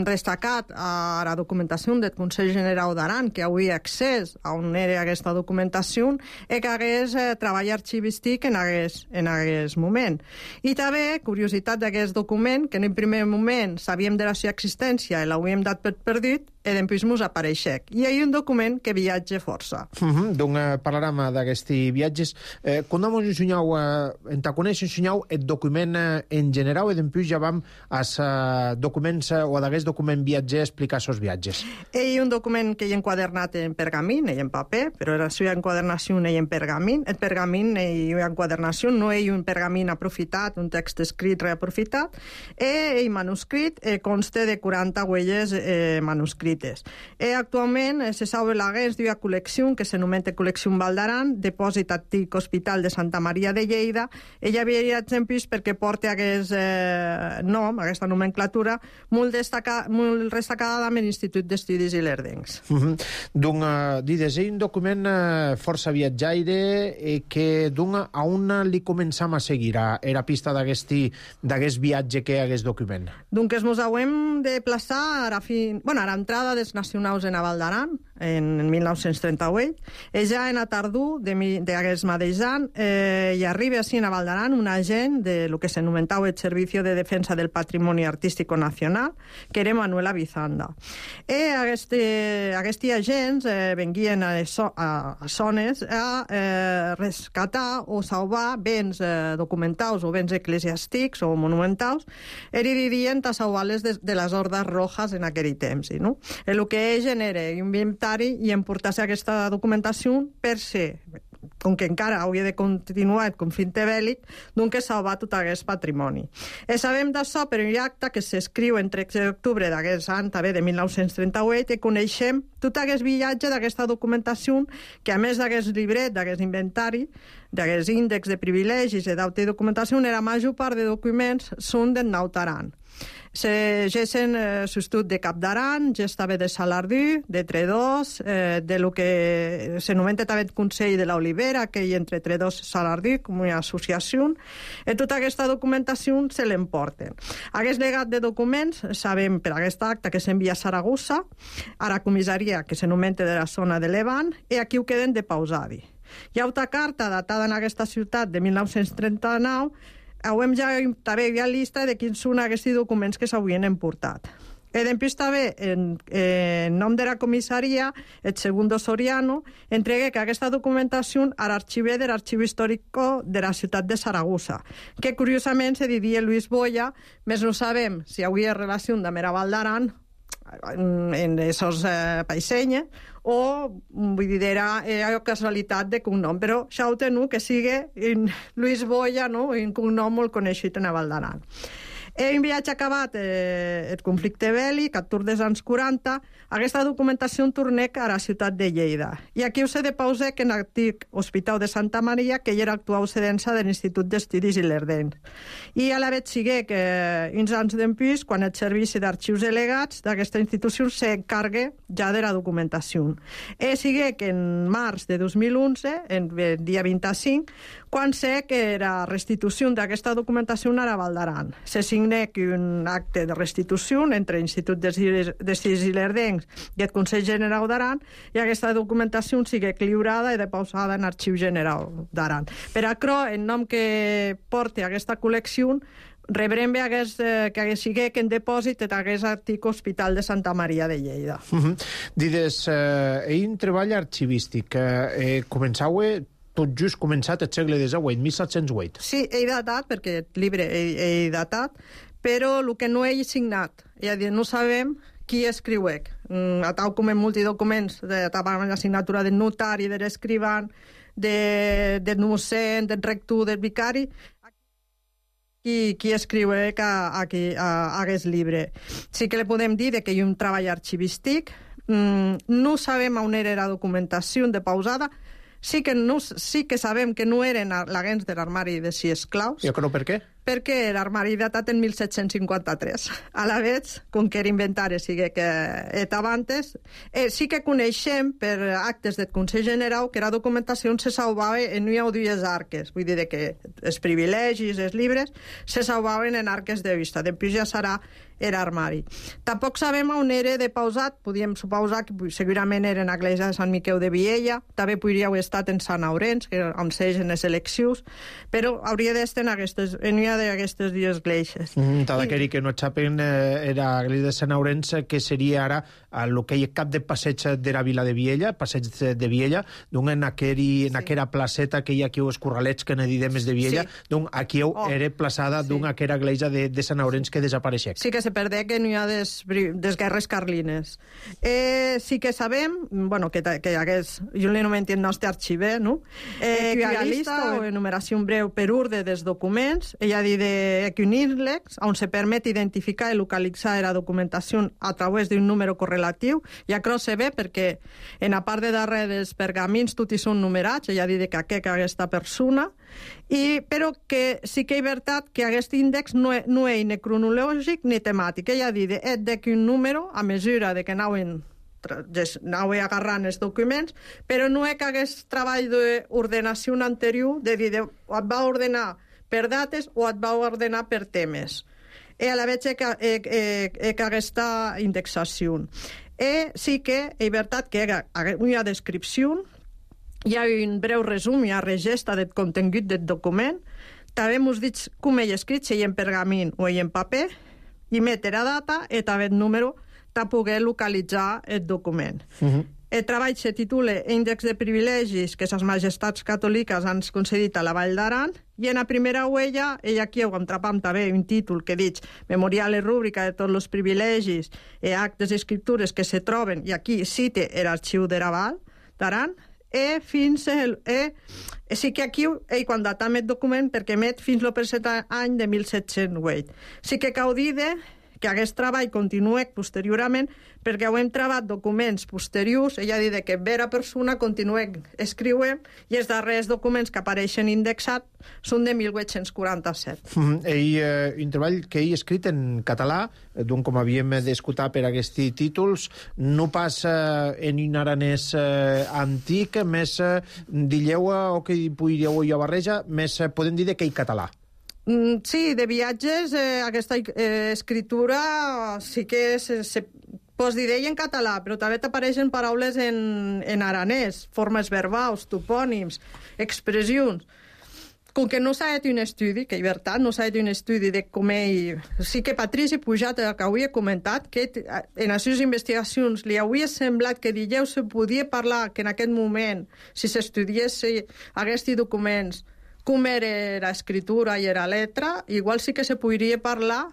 destacat a la documentació del Consell Generau d'Aran, que avui accés a on era aquesta documentació, és que hagués eh, treball arxivístic en hagués, en hagués moment. I també, curiositat d'aquest document, que en el primer moment sabíem de la seva existència i l'havíem dat per perdut, i després mos apareixec. I hi ha un document que viatge força.
Uh -huh. Donc eh, parlarem d'aquests viatges. Eh, quan mos ensenyau, eh, en ta coneix ensenyau el document eh, en general i després ja vam als eh, documents eh, o d'aquest document viatger explicar els viatges.
Hi ha un document que hi ha enquadernat en pergamín, hi ha en paper, però la seva enquadernació hi ha en pergamín. El pergamín hi ha enquadernació, no hi ha un pergamín aprofitat, un text escrit reaprofitat, i el manuscrit eh, consta de quaranta huelles eh, manuscrites. Eh, actualment eh, se sabe l'aguest d'una col·lecció que s'anomena Col·lecció Val d'Aran, depòsit antic Hospital de Santa Maria de Lleida. Ella havia exemples perquè porta aquest eh, nom, aquesta nomenclatura, molt, destaca, molt destacada amb l'Institut d'Estudis Ilerdencs.
Uh -huh. Donc, uh, dides, és un document uh, força viatjaire eh, que d'un a on li començam a seguir a, a la pista d'aquest viatge que hi ha aquest document?
Donc, es mos hauem de plaçar a, fin... bueno, a l'entrada dels nacionals en Val d'Aran, en mil nou-cents trenta-vuit, i ja en a tardor d'aquest mateix any eh, hi arriba així a Val d'Aran un agent de lo que s'anomentava el Servicio de Defensa del Patrimoni Artístico Nacional, que era Manuel Avizanda. I aquests agents eh, venguien a, a, a zones a eh, rescatar o salvar béns eh, documentals o béns eclesiàstics o monumentals, i vivien a salvar-les de, de les hordes rojas en aquell temps. No? El que genera un inventari i emportar-se aquesta documentació per ser, com que encara hauria de continuar el conflicte bèl·lic, doncs salvar tot aquest patrimoni. I sabem d'això per un acte que s'escriu en tretze d'octubre d'aquest any, també de mil nou-cents trenta-vuit, i coneixem tot aquest viatge d'aquesta documentació, que a més d'aquest llibret, d'aquest inventari, d'aquest índex de privilegis i d'autodocumentació, la major part de documents són del Nou d'Aran. Se gessen eh, substitut de Cap d'Aran, ja estava de Salardú, de Tredós, eh, de lo que s'anomena també el Consell de l'Olivera, que hi entre Tredós i Salardú, com una associació, i tota aquesta documentació se l'emporten. Aquest legat de documents, sabem per aquest acte que s'envia a Saragossa, a la comissaria que s'anomena de la zona de Levant, i aquí ho queden de pausadi. Hi ha una carta datada en aquesta ciutat de mil nou-cents trenta-nou. Hauem ja també hi ha llista de quins són aquests documents que s'havien emportat. E dempús també, en, en nom de la comissaria, el segundo Soriano entregué que aquesta documentació a l'arxiver de l'Arxiu Històrico de la ciutat de Saragossa, que curiosament se diria Luis Boya, més no sabem si havia relació amb la Val d'Aran en esos eh, paisenya, o vull dir, era, era casualitat de cognom, però això ho teniu que sigui en Luis Boya, no? Un cognom molt coneixit en la Val d'Aran. En viatge acabat eh, el conflicte bèl·lic, a tour dels anys quaranta, aquesta documentació tornec a la ciutat de Lleida. I aquí us he de pausar que en l'antic Hospital de Santa Maria, que hi era actual cedença de l'Institut d'Estudis Ilerdencs. I a la vegada sigue que uns anys d'empús, quan el Servici d'Arxius Delegats d'aquesta institució s'encarga ja de la documentació. E sigue que en març de dos mil onze, en el dia vint-i-cinc, quan sé que la restitució d'aquesta documentació a la Val d'Aran. Se signec un acte de restitució entre l'Institut d'Estudis Ilerdencs i el Consell General d'Aran, i aquesta documentació sigue lliurada i depausada en l'Arxiu General d'Aran. Per això, en nom que porta aquesta col·lecció, rebrem bé hagués, eh, que hagués sigut en depòsit d'aquest antic Hospital de Santa Maria de Lleida.
Uh -huh. Dides, eh, ell un treball arxivístic. Eh, eh, començau tot just començat el segle divuit, mil set-cents vuit.
Sí, he datat, perquè el llibre he, he datat, però el que no he signat, és a dir, no sabem qui escriuec. Mm, a tal com en multidocuments, de la signatura del notari, de l'escrivant, de, del mossèn, del rector, del vicari, qui, qui escriuec a, a, a, a aquest llibre. Sí que li podem dir que hi ha un treball arxivístic, mm, no sabem on era la documentació de pausada. Sí que, no, sí que sabem que no eren l'agents de l'armari de sis esclaus.
I això per què?
Perquè l'armari datat en mil set-cents cinquanta-tres. A la vegada, com que era inventari, sigui que estava antes, eh, sí que coneixem per actes del Consell General que la documentació se salvava en no hi havia arques. Vull dir que els privilegis, els llibres, se salvaven en arques de vista. Després ja serà l'armari. Tampoc sabem on era depausat. Podíem suposar que segurament era en l'església de Sant Miquel de Viella, també podria haver estat en Sant Aurens, que on segen les eleccions, però hauria d'estar en aquestes, en una d'aquestes dues esglésies.
Mm, Tal I... que no saben, eh, era l'església de Sant Aurens, que seria ara el que hi ha cap de passeig de la vila de Viella, passeig de Viella, doncs en, aqueri, en sí. aquella placeta que hi ha aquí els corralets que ne didem de Viella, sí. doncs aquí oh. era plaçada sí. d'una aquella església de, de Sant Aurens que desapareixia.
Sí que se perdé que no hi ha des, des guerres carlines. Eh, sí que sabem, bueno, que, que hagués, jo li no m'entien el nostre arxiver, no? Eh, que hi ha llista o enumeració breu per urde dels documents, ella dit de Equinirlex, on se permet identificar i localitzar la documentació a través d'un número correlatiu, i això se ve perquè en la part de darrere dels pergamins tots hi són numerats, ella dit que aquest aquesta persona, i, però que sí que és veritat que aquest índex no, no és ni cronològic ni temàtic. Ella ha dit que un número, a mesura de que anaven, anaven agarrant els documents, però no és que aquest treball d'ordenació anterior, de dir, et va ordenar per dates o et va ordenar per temes. I a la vegada que, eh, eh, que aquesta indexació. I sí que és veritat que hi ha una descripció, hi ha un breu resum, hi ha regesta del contingut del document, també m'ho dit com he escrit, si hi ha en pergamin o hi ha en paper, i metre la data i també el número per poder localitzar el document. Uh-huh. El treball se titula Índex de privilegis que les majestats catòliques han concedit a la Vall d'Aran, i en la primera huella, i aquí ho entrapam també un títol que dic Memorial i rúbrica de tots els privilegis i actes i escriptures que se troben, i aquí cite l'arxiu de la Vall d'Aran, i fins el... E, sí que aquí, ell quan datam el document, perquè met fins al present any de mil set-cents vuit. Sí que cal dir que aquest treball continua posteriorment, perquè ho hem treballat documents posteriors, ella ha dit que vera persona continua escriuent, i els darrers documents que apareixen indexats són de mil vuit-cents quaranta-set.
Mm, ell, eh, un treball que ell ha escrit en català, doncs com havíem d'escoltar per aquests títols, no passa en un aranès eh, antic, més eh, dilleu o que podríeu ja barreja, més eh, podem dir que ell català.
Sí, de viatges, eh, aquesta eh, escritura sí que se, se pot dir en català, però també t'apareixen paraules en, en aranès, formes verbals, topònims, expressions. com que no s'ha fet un estudi, que és veritat, no s'ha fet un estudi de com ell... Sí que Patrici Pujat, que avui he comentat, que en les seves investigacions li hauria semblat que dijous se podia parlar que en aquest moment, si s'estudiés aquests documents, com era l'escriptura i la letra, igual sí que se podria parlar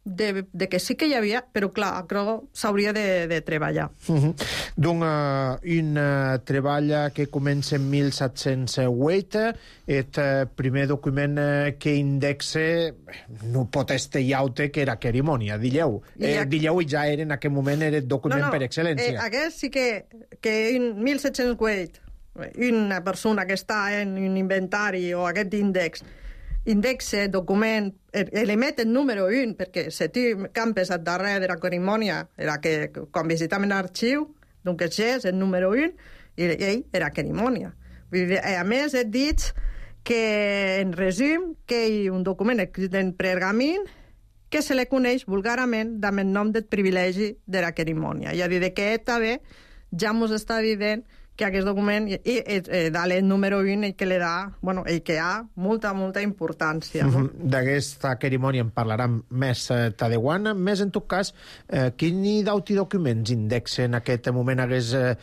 de, de que sí que hi havia, però clar, s'hauria de, de treballar.
Uh -huh. Doncs uh, un uh, treball que comença en mil set-cents vuit, el uh, primer document uh, que indexa, no pot estar llaute que era cerimònia, dilleu. Eh, dilleu i ja era en aquell moment era el document
no, no,
per excel·lència.
Eh, aquest sí que, que en mil set-cents vuit una persona que està en un inventari o aquest índex indexa, document, element el número un, perquè se té campes al darrere de la cerimònia, era que quan visitaven l'arxiu, doncs és el número un, i ell era cerimònia. A més, he dit que, en resum, que hi ha un document escrit en pergamin que se li coneix vulgarment amb el nom del privilegi de la cerimònia. És a dir, que també ja ens està dient que aquest document, i, i, i dalt el número un, el que li da, bueno, el que ha molta, molta importància. No?
Uh-huh. D'aquesta cerimònia en parlarem més eh, tadeuana. Més, en tot cas, eh, quin d'auti documents indexa en aquest moment hagués eh,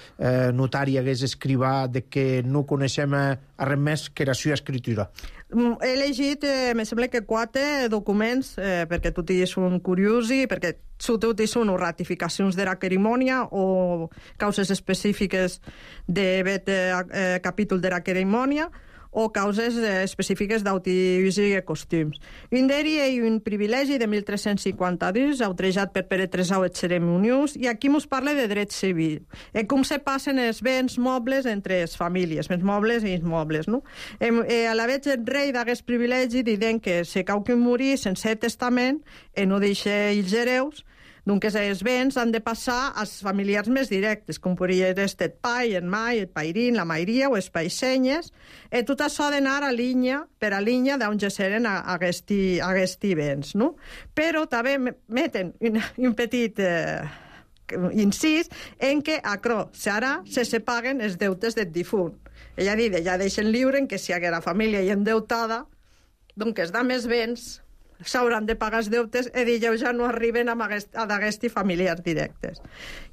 notari, hagués escrivà de que no coneixem eh, res més que la seva escritura?
He llegit, eh, me sembla que quatre documents, eh, perquè tots són curiosi, perquè tots són ratificacions de la cerimònia o causes específiques de eh, capítol de la cerimònia o causes eh, específiques d'autoús i costums. Un d'ells és un privilegi de mil tres-cents cinquanta-dos, autorejat per Pere tresau et Ceremoniós, i aquí ens parla de dret civil, eh, com se passen els béns mobles entre les famílies, béns mobles i immobles. No? Eh, eh, a la vegada el rei d'aquest privilegi diuen que si cau que morir sense testament eh, no deixa els hereus, doncs els béns han de passar als familiars més directes, com podria ser el pai, el mai, el pairín, la mairia o els paixenyes, i tot això ha d'anar a línia, per a línia d'on geseren aquests béns. No? Però també meten un, un petit eh, incís en què acro, ara se sepaguen els deutes del difunt. Ella ha dit, ja deixen lliure que si la família hi endeutada, doncs es da més béns, s'hauran de pagar els deutes i dijous ja no arriben a d'aquests familiars directes.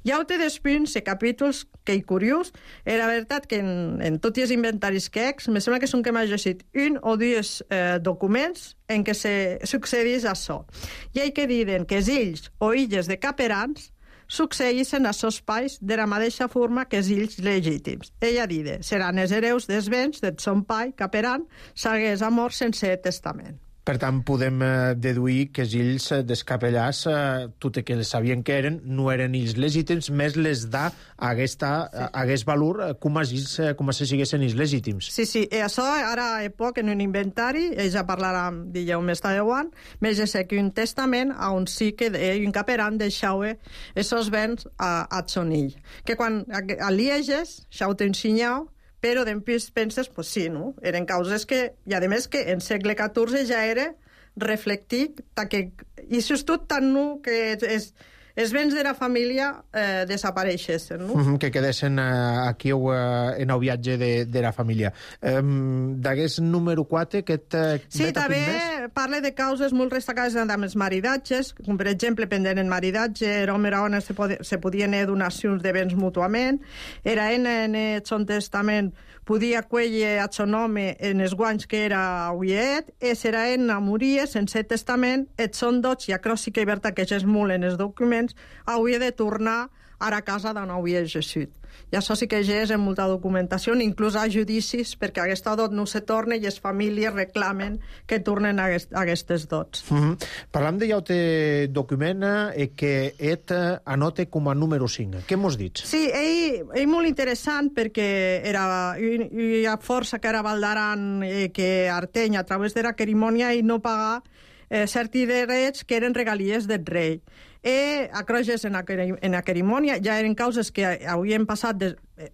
Hi ha altres punts i capítols que hi curiós. Era veritat que en, en tots els inventaris que ex, me sembla que són que m'ha llegit un o dos eh, documents en què se succeeix això. I hi que diuen que els ills o illes de caperans succeeixen a sos pais de la mateixa forma que els ills legítims. Ella diu, seran els hereus dels béns del son pai caperan s'hagués mort sense testament.
Per tant, podem eh, deduir que els ills eh, descapellars, eh, tot i que sabien que eren, no eren ills legítims, més les da aquesta, sí. Hagués valor eh, com els ills, eh, com si siguessin ills legítims.
Sí, sí, i això ara a poc en un inventari, ell ja parlarà, digueu, més tardeuant, més de ser que un testament on sí que ell, un caperan deixava aquests béns a, a son ill. Que quan a Lieges, això ho té ensenyat, però després penses, pues sí, no? Eren causes que, i a més que en segle catorze ja era reflectit, que, i això és tot tan nu que és, els béns de la família eh, desapareixessin, no?
Mm-hmm, que quedessin eh, aquí o eh, en el viatge de, de la família. Eh, D'aquest número quatre, aquest... Eh,
sí, també parla de causes molt destacades amb els maridatges, com per exemple, pendent en maridatge, era home era ona, se, pod se podien fer donacions de béns mútuament, era en, en el son testament podia cuellar a son home en els guanys que era uiet, i serà en a morir sense testament, et son dots, i acro sí que hi verta que és molt en els documents, hauria de tornar a la casa d'on hauria exercit. I això sí que ja és en molta documentació, inclús a judicis, perquè aquesta dot no se torna i les famílies reclamen que tornen a aquestes dots.
Mm-hmm. Parlam de llaute document eh, que et anote com a número cinc. Què mos dits?
Sí, ell, ell molt interessant perquè era una força que era Valdaran eh, que Arteny, a través de la cerimònia, i no pagar eh, certs drets que eren regalies del rei. I a Croges en la, en la cerimònia ja eren causes que havien passat de,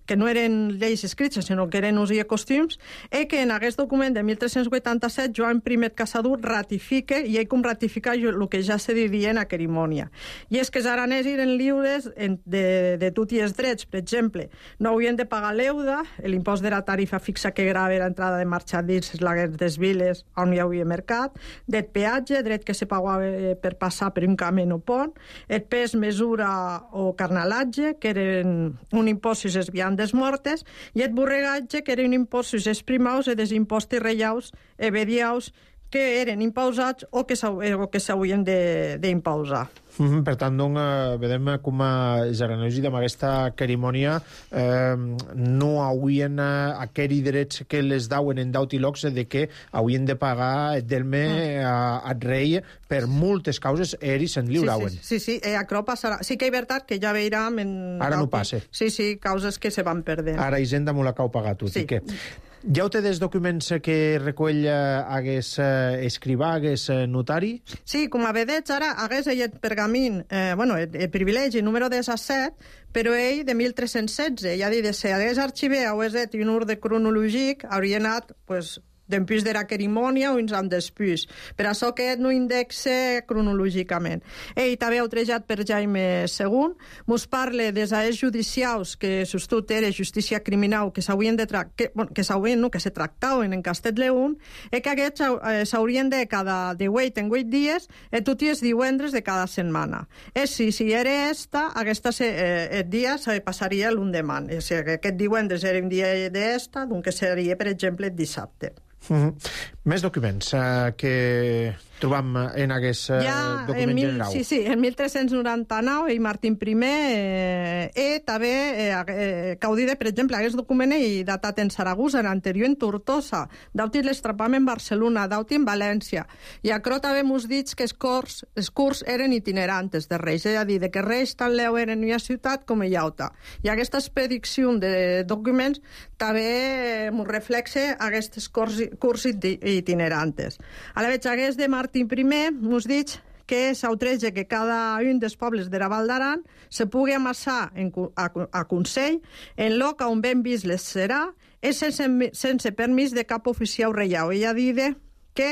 que no eren lleis escrites, sinó que eren us i costums, és que en aquest document de mil tres-cents vuitanta-set Joan Primer Casadú ratifica, i ell com ratifica el que ja se diria en la cerimònia. I és que els aranès eren lliures de, de tots els drets. Per exemple, no haurien de pagar l'euda, l'impost de la tarifa fixa que grava l'entrada de marxadits les viles on hi havia mercat, del peatge, dret que se pagava per passar per un camí o pont, el pes, mesura o carnalatge, que eren un impost si es viandes mortes, i el borregatge, que era un impost si es primaus i des impostos reiaus e vediaus que eren impausats o que s'haurien d'impausar.
Mm-hmm. Per tant, doncs, eh, vedem com els aranesos amb aquesta cerimònia eh, no haurien eh, aquells drets que les dauen en daut i locs de que haurien de pagar delme mm. al rei per moltes causes ells se'n lliurauen.
Sí, sí, sí, sí. Això passarà. Sí que és veritat que ja veurem... En
ara no passa.
Sí, sí, causes que se van perdent.
Ara Hisenda m'ho l'acau pagat tot. Sí. I que... Ja ho té dels documents que recull hagués eh, escrivà, hagués eh, notari?
Sí, com a vedeig ara hagués ell el pergamín, eh, bueno, el, el privilegi número disset, però ell de mil tres-cents setze, ja dit, si hagués arxiver, hagués dit un ordre cronològic, hauria anat, pues, d'empús de la cerimònia o uns anys després. Per això que no indexa cronològicament. Ell també outrejat per Jaime segon, mos parla dels aers judicials que sostut era justícia criminal que s'haurien de tra que, bueno, que s'haurien, no, que se tractaven en Castell León, i que aquests eh, s'haurien de cada de vuit en vuit dies i tots els divendres de cada setmana. És si, si era esta, aquesta se, eh, el dia se passaria l'endemà. O sigui, aquest divendres era un dia d'esta, doncs seria, per exemple, el dissabte.
Mm-hmm. Més documents eh, que trobam en aquest eh,
ja,
document
mil,
general.
Sí, sí, en mil tres-cents noranta-nou i Martín Primer eh, eh, també eh, eh, caudida, per exemple, aquest document i datat en Saragossa, en anterior en Tortosa, d'auti l'estrapament en Barcelona, d'auti en València. I acrò també mos dits que els curs, els curs eren itinerantes de Reis, és a dir, que Reis tan leu eren en una ciutat com en altra. I aquesta expedició de documents també mos reflexa aquests curs, curs itinerantes. A la veig, aquest de Martín Primer mos dic que s'autreja que cada un dels pobles de la Val d'Aran se pugui amassar en, a, a Consell en lloc on ben vist les serà i sense, sense permís de cap oficial reial. Ella diu que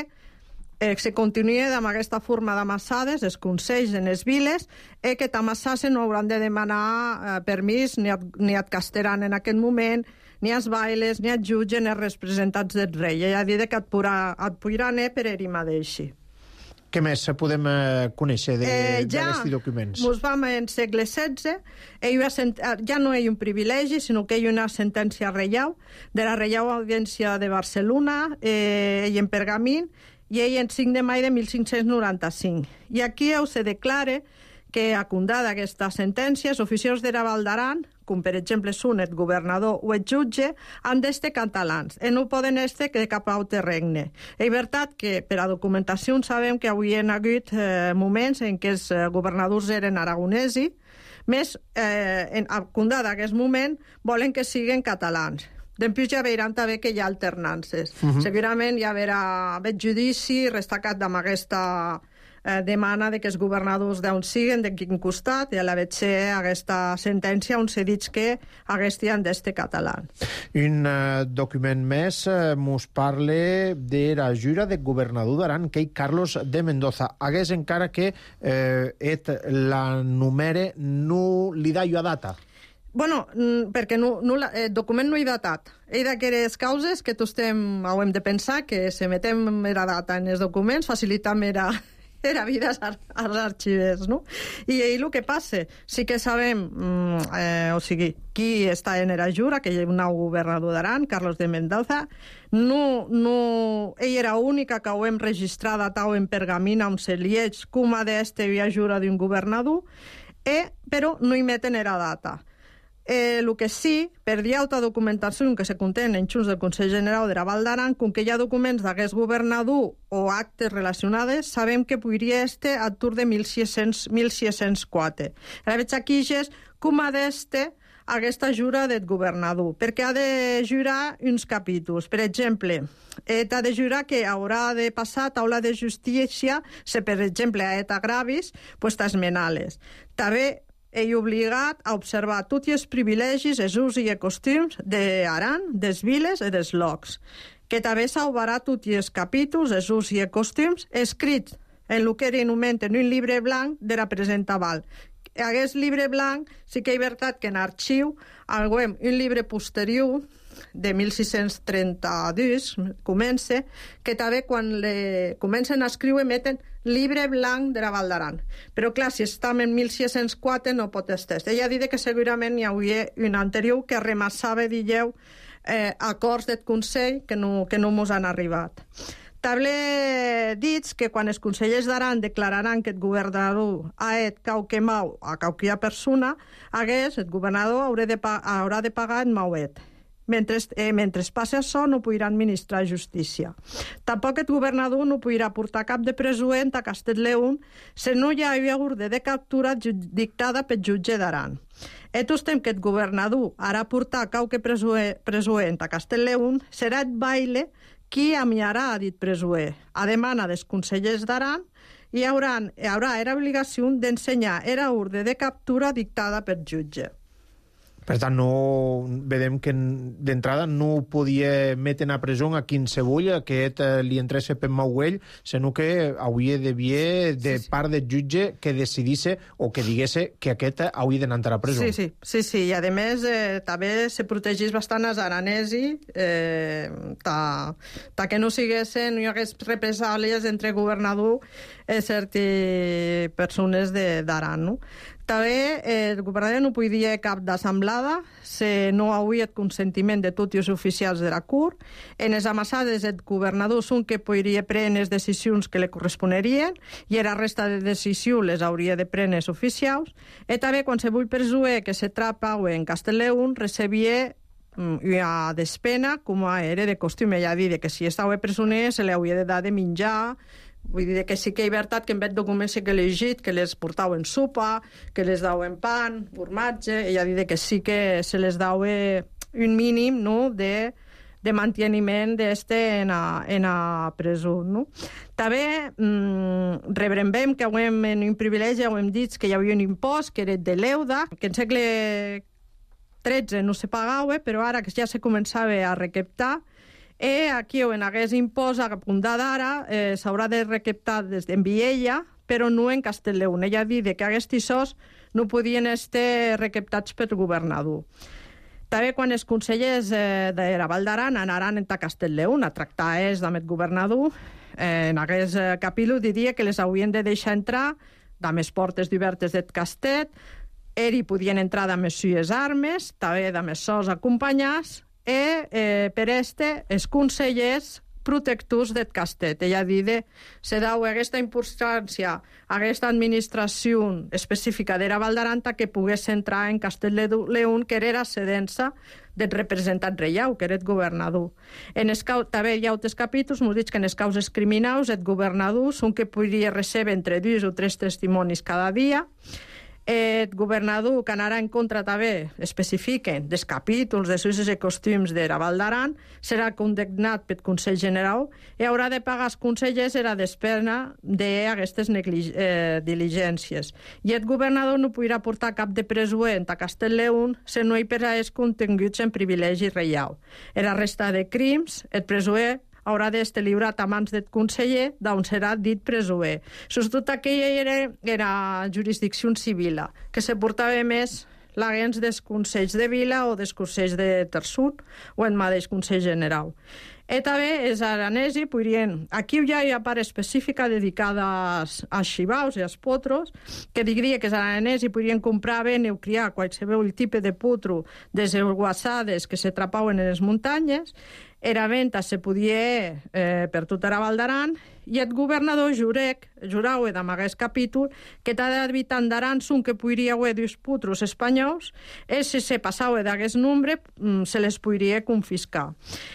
eh, se continuï amb aquesta forma d'amassades, els consells en les viles, i que t'amassassen no hauran de demanar eh, permís ni et, ni et castaran en aquest moment, ni els bailes, ni els jutges, ni els representats del rei. Ella diu que et podrà anar per ell mateix.
Què més podem eh, conèixer d'aquests
eh, ja
documents?
Ens vam en segle setze, ja no hi ha un privilegi, sinó que hi ha una sentència reial, de la Reial Audiència de Barcelona, eh, i en pergamín, i ell en cinc de maig de mil cinc-cents noranta-cinc. I aquí se declara que, acundada aquesta sentència, els oficials de la Val d'Aran, com per exemple són el governador o el jutge, han d'estar catalans i no poden estar de cap altre regne. És veritat que per a documentació sabem que avui hi ha hagut eh, moments en què els governadors eren aragonesi, més eh, en acundada aquest moment volen que siguin catalans. Després ja veuran també que hi ha alternances. Uh-huh. Segurament hi haurà el judici restacat amb aquesta eh, demana de que els governadors d'on siguen, de quin costat, i a la vez aquesta sentència on se dit que haguessin d'este català.
Un uh, document més uh, mos parla de la jura de governador d'Aran, que és Carlos de Mendoza. Hagués encara que eh, et la numere no li da jo a data.
Bueno, perquè no, no, el document no hi datat. Hi d'aquelles causes que tots estem, hem de pensar que se metem la data en els documents, facilitam era, era vida als arxivers, no? I el que passa, sí que sabem, eh, o sigui, qui està en la jura, que hi ha un nou governador d'Aran, Carlos de Mendoza, no, no, ell era única que ho hem registrat tau en pergamina on se lieix com ha d'este via jura d'un governador, eh, però no hi meten la data. El eh, que sí, per altra documentació que se contén en xus del Consell General de la Val d'Aran, com que hi ha documents d'aquest governador o actes relacionades, sabem que podria estar a tour de mil sis-cents quatre. La veig aquí és com ha d'estar aquesta jura del governador, perquè ha de jurar uns capítols. Per exemple, eh, ha de jurar que haurà de passar taula de justícia, si per exemple ha et agravis, pues t'esmenales. També ei obligat a observar tots els privilegis, els us i els costums d'Aran, des viles i des locs, que també sauvarà tots els capítols, els us i els costums, escrits en el que anomenen un llibre blanc de la presenta val. Aquest llibre blanc sí que és veritat que en arxiu alguem un llibre posterior de mil sis-cents trenta-dos comença, que també quan le... comencen a escriure meten llibre blanc de la Val d'Aran. Però clar, si estem en mil sis-cents quatre no pot estar. Ella dit que segurament hi hauria un anterior que remassava, digueu, eh, acords del Consell que no, que no mos han arribat. També dits que quan els consellers d'Aran declararan que el governador ha et quauque mau a quauquia persona, hagués, el governador haurà de, haurà de pagar el mauet. Mentre, eh, mentre passi això, no podrà administrar justícia. Tampoc el governador no podrà portar cap de presuent a Castell-León si no hi havia ordre de captura dictada pel jutge d'Aran. Etos temps que el governador harà portar quauque presuent a Castell-León, serà el baile qui amiarà a dit presuer. A demana dels consellers d'Aran, hi haurà, hi haurà era obligació d'ensenyar era ordre de captura dictada per jutge.
Per tant, no, vedem que d'entrada no podia metre a presó a qualsevol que et, eh, li entrés per mauell, sinó que hauria d'haver de sí, sí. part del jutge que decidisse o que digués que aquest hauria d'anar a presó.
Sí, sí, sí, sí. I a més eh, també se protegís bastant els aranesi eh, ta, ta que no siguessin, no hi hagués represàlies entre governador i certes persones d'Aran, no? També eh, el governador no podia cap d'assemblada si no hauria el consentiment de tots els oficials de la Cort. En les amassades el governador són que podria prendre les decisions que li corresponerien i la resta de decisions les hauria de prendre els oficials. I també qualsevol persona que se trapa en Castell-León recebia una despena com era de costum. Ella dit que si estava presoner se li hauria de dar de menjar. Vull dir que sí que hi ha veritat que en vez documents que he llegit, que les portaven sopa, que les dauen pan, formatge, ella dit que sí que se les dava un mínim, no?, de, de manteniment d'este en a, en a presó, no? També mmm, rebrembem que haguem en un privilegi, haguem dit que hi havia un impost que era de l'euda, que en segle tretze no se pagava, però ara que ja se començava a recaptar. E aquí on hagués impost a punta d'ara eh, s'haurà de recaptar des d'en Viella, però no en Castell-León. Ella dit que aquests tissos no podien estar recaptats pel governador. També quan els consellers eh, de la Val d'Aran anaran a Castell-León a tractar és amb el governador, eh, en aquest capítol diria que les haurien de deixar entrar amb les portes obertes del castet, ell podien entrar amb les seues armes, també amb els seus acompanyats, i eh, per este els consellers protectors del castet. Ella dit se deu aquesta importància a aquesta administració específica de la Val d'Aran que pogués entrar en Castell-León, que era sedença del representant reial, que era el governador. En els, també hi ha altres capítols, m'ho dic que en les causes criminals el governador són que podria rebre entre dos o tres testimonis cada dia. El governador que anarà en contra també especifiquen dels capítols, dels usos i costums de la Val d'Aran, serà condemnat pel Consell General i haurà de pagar als consellers la despesa d'aquestes eh, diligències. I el governador no podrà portar cap de presuent a Castell-León si no hi per als continguts en privilegi reial. En la resta de crims, el presuent haurà d'estar lliurat a mans del conseller d'on serà dit presuer. Sobretot aquella era, era jurisdicció civil, que se portava més l'agents dels consells de vila o dels consells de terçut o el mateix Consell General. I també els aranesi podrien... Aquí ja hi ha part específica dedicada als, als xivaus i als potros, que diria que els aranesi podrien comprar, vendre o criar qualsevol tipus de potro des de guassades que se trapaven en les muntanyes. Era venta se podia eh, per tota la Val d'Aran i el governador jurec, jurau amb aquest capítol, que cada habitant d'Aran són que podria haver dos potros espanyols i si se passava d'aquest nombre se les podria confiscar.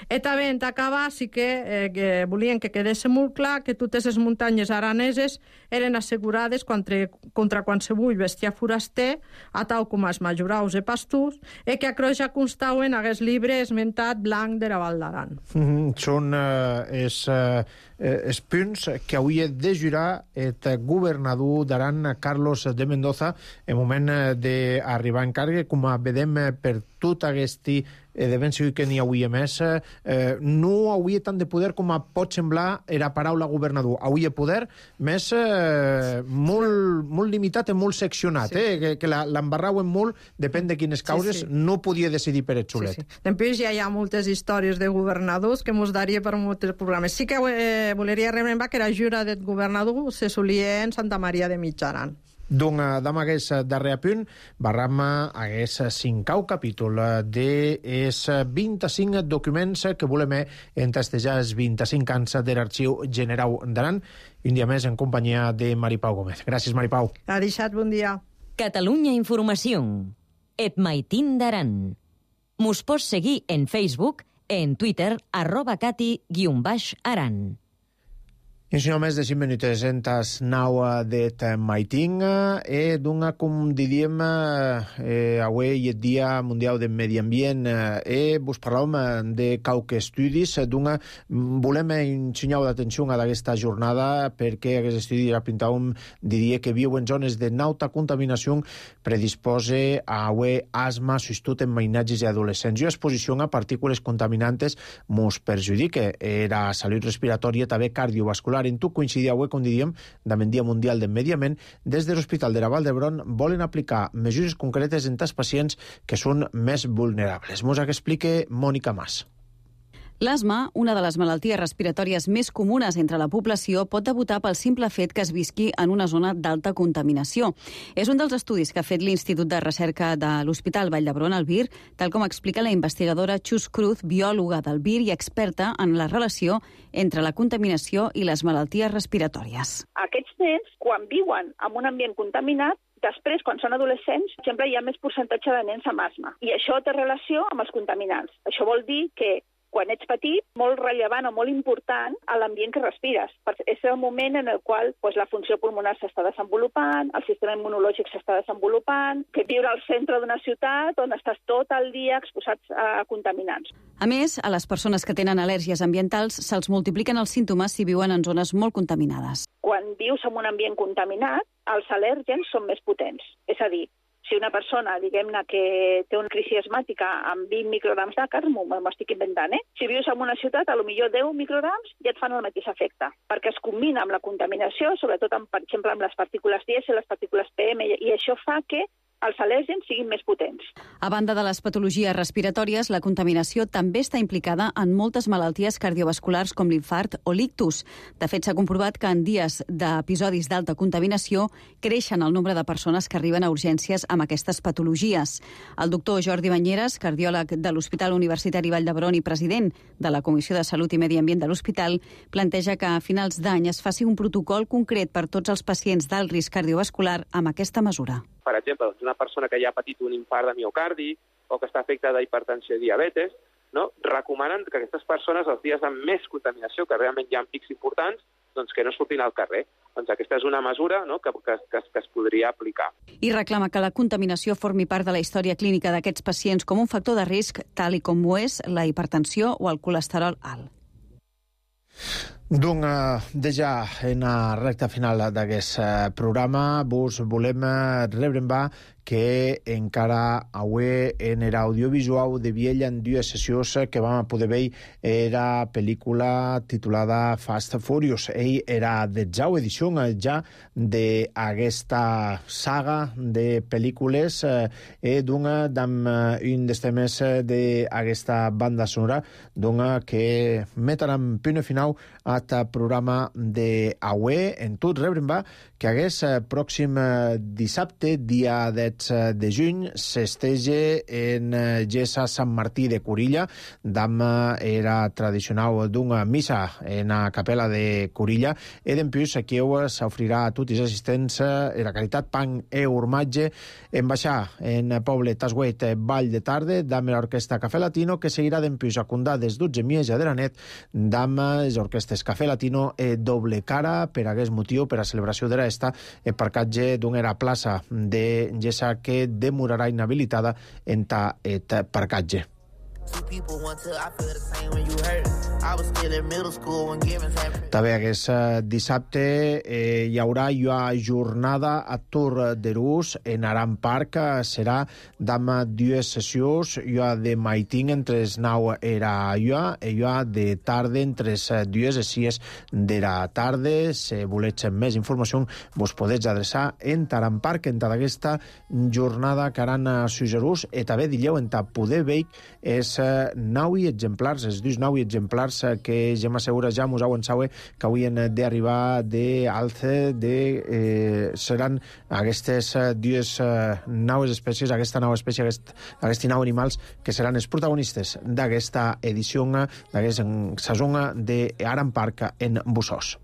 I també en acabar sí que, eh, que volien que quedés molt clar que totes les muntanyes araneses eren assegurades contra, contra qualsevol bestiar foraster, a tal com els majoraus i pastors, i que a ja constaven aquest llibre esmentat blanc de la Val d'Aran.
Mm-hmm. Són eh, els, eh, els punts Junts que hauria de jurar el governador d'Aran, Carlos de Mendoza, en moment d'arribar en càrrega, com a vedem per tot aquest de ben segur que n'hi hauria més, eh, no hauria tant de poder com a pot semblar era paraula governador. Hauria poder més eh, molt, molt limitat i molt seccionat, sí. eh, que, que l'embarrauen molt, depèn de quines causes, sí, sí. No podia decidir per el xulet.
Sí, sí. Després ja hi ha moltes històries de governadors que mos daria per molts programes. Sí que eh, voleria rememorar que la jura del governador se solia en Santa Maria de Mitjaran.
Donc, damb aquest darrer punt, barram aquest cinquè capítol dels vint-i-cinc documents que volem entestejar els vint-i-cinc anys de l'Arxiu General d'Aran. Un dia més en companyia de Maripau Gómez. Gràcies, Maripau.
Ha deixat, bon dia.
Catalunya Informació. Et maitin d'Aran. Mos pots seguir en Facebook, en Twitter, arroba cati guion baix aran.
I si no més de cinc minuts en tas nau d'et maiting e d'una, com diríem, eh, avui el Dia Mundial del Medi Ambient e vos parlàvem de qualques estudis d'una, volem ensenyar d'atenció a aquesta jornada perquè aquest estudi apuntàvem, diria que viu en zones de alta contaminació predispose a avui asma, sobretot en mainatges i adolescents. I exposició a partícules contaminantes mos perjudica la salut respiratòria, també cardiovascular. En tot coincidia avui, com diríem, del Dia Mundial del Medi Ambient, des de l'Hospital de la Vall d'Hebron volen aplicar mesures concretes en els pacients que són més vulnerables. Mos ho explica Mònica Mas.
L'asma, una de les malalties respiratòries més comunes entre la població, pot debutar pel simple fet que es visqui en una zona d'alta contaminació. És un dels estudis que ha fet l'Institut de Recerca de l'Hospital Vall d'Hebron, el V I R, tal com explica la investigadora Chus Cruz, biòloga del V I R i experta en la relació entre la contaminació i les malalties respiratòries.
Aquests nens, quan viuen en un ambient contaminat, després, quan són adolescents, sempre hi ha més percentatge de nens amb asma. I això té relació amb els contaminants. Això vol dir que quan ets petit, molt rellevant o molt important a l'ambient que respires. És el moment en el qual pues, la funció pulmonar s'està desenvolupant, el sistema immunològic s'està desenvolupant, que viure al centre d'una ciutat on estàs tot el dia exposats a contaminants.
A més, a les persones que tenen al·lèrgies ambientals se'ls multipliquen els símptomes si viuen en zones molt contaminades.
Quan vius en un ambient contaminat, els al·lèrgens són més potents. És a dir, si una persona, diguem-ne, que té una crisi asmàtica amb vint micrograms d'àcar, m'ho estic inventant, eh? Si vius en una ciutat, a lo millor deu micrograms ja et fan el mateix efecte, perquè es combina amb la contaminació, sobretot, amb, per exemple, amb les partícules dièsel, les partícules P M, i això fa que els al·lèrgens siguin més potents.
A banda de les patologies respiratòries, la contaminació també està implicada en moltes malalties cardiovasculars com l'infart o l'ictus. De fet, s'ha comprovat que en dies d'episodis d'alta contaminació creixen el nombre de persones que arriben a urgències amb aquestes patologies. El doctor Jordi Banyeres, cardiòleg de l'Hospital Universitari Vall d'Hebron i president de la Comissió de Salut i Medi Ambient de l'Hospital, planteja que a finals d'any es faci un protocol concret per tots els pacients d'alt risc cardiovascular amb aquesta mesura.
Per exemple, una persona que ja ha patit un infart de miocardi o que està afectada d'hipertensió i diabetes, no? Recomanen que aquestes persones, els dies amb més contaminació, que realment hi ha pics importants, doncs que no surtin al carrer. Doncs aquesta és una mesura, no? que, que, que, que es podria aplicar.
I reclama que la contaminació formi part de la història clínica d'aquests pacients com un factor de risc, tal i com ho és la hipertensió o el colesterol alt.
Donc, déjà en la recta final d'aquest programa vos volem rebre en va que encara avui en l'audiovisual de Viella en dues sessions que vam poder veure era pel·lícula titulada Fast Furious. Ell era detzau edició ja d'aquesta saga de pel·lícules i d'una d'amb un dels temes d'aquesta banda sonora que meten punt final a el programa d'avui. En tot rebre en va que aquest pròxim dissabte, dia de juny, s'estege en Gessa Sant Martí de Corilla. D'am era tradicional d'una missa en la capella de Corilla i d'empús aquí s'ofrirà a tots els assistents la caritat pan e urmatge en baixar en poble Tasguet Vall de Tarde d'am l'orquestra Cafè Latino que seguirà d'empús a condar des dotze miesa de la net d'am les orquestes Cafè Latino e Doble Cara per aquest motiu, per a celebració de l'esta el parcatge d'una plaça de Gessa que demorarà inhabilitada en ta et parcatge. També aquest dissabte eh, hi haurà una jornada a Tour de Rus en Aran Park. Serà damb dues sessions, una de maitin entre les nou era una i una de tarda entre les dues i sis de la tarda. Si voleu més informació, vos podeu adreçar en Aran Park en tota aquesta jornada que aran a Sugerús. I també dileu en poder veure és nou exemplars, els dos nou exemplars que ja m'assegura ja mos heu sabe que avui han d'arribar d'alce de, eh, seran aquestes dues eh, noves espècies, aquesta nova espècie, aquest, aquests nou animals que seran els protagonistes d'aquesta edició, d'aquesta saison de Aran Park en Bussos.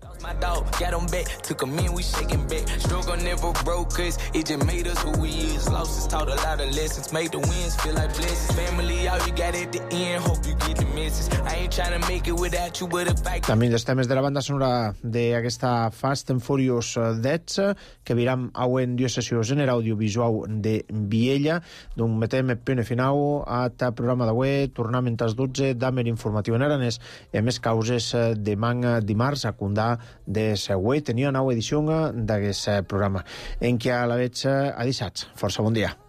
També dels temes de la banda sonora d'aquesta Fast and Furious dez, que viram auen dues sessions en l'audiovisual de Viella. Doncs metem punt final a ta programa d'avui. Tornem a les dotze d'Amer Informatiu en aranès i a més causes demà dimarts a Condà de Següent. Tenia una nova edició d'aquest programa en què a la veig a dissats. Força bon dia.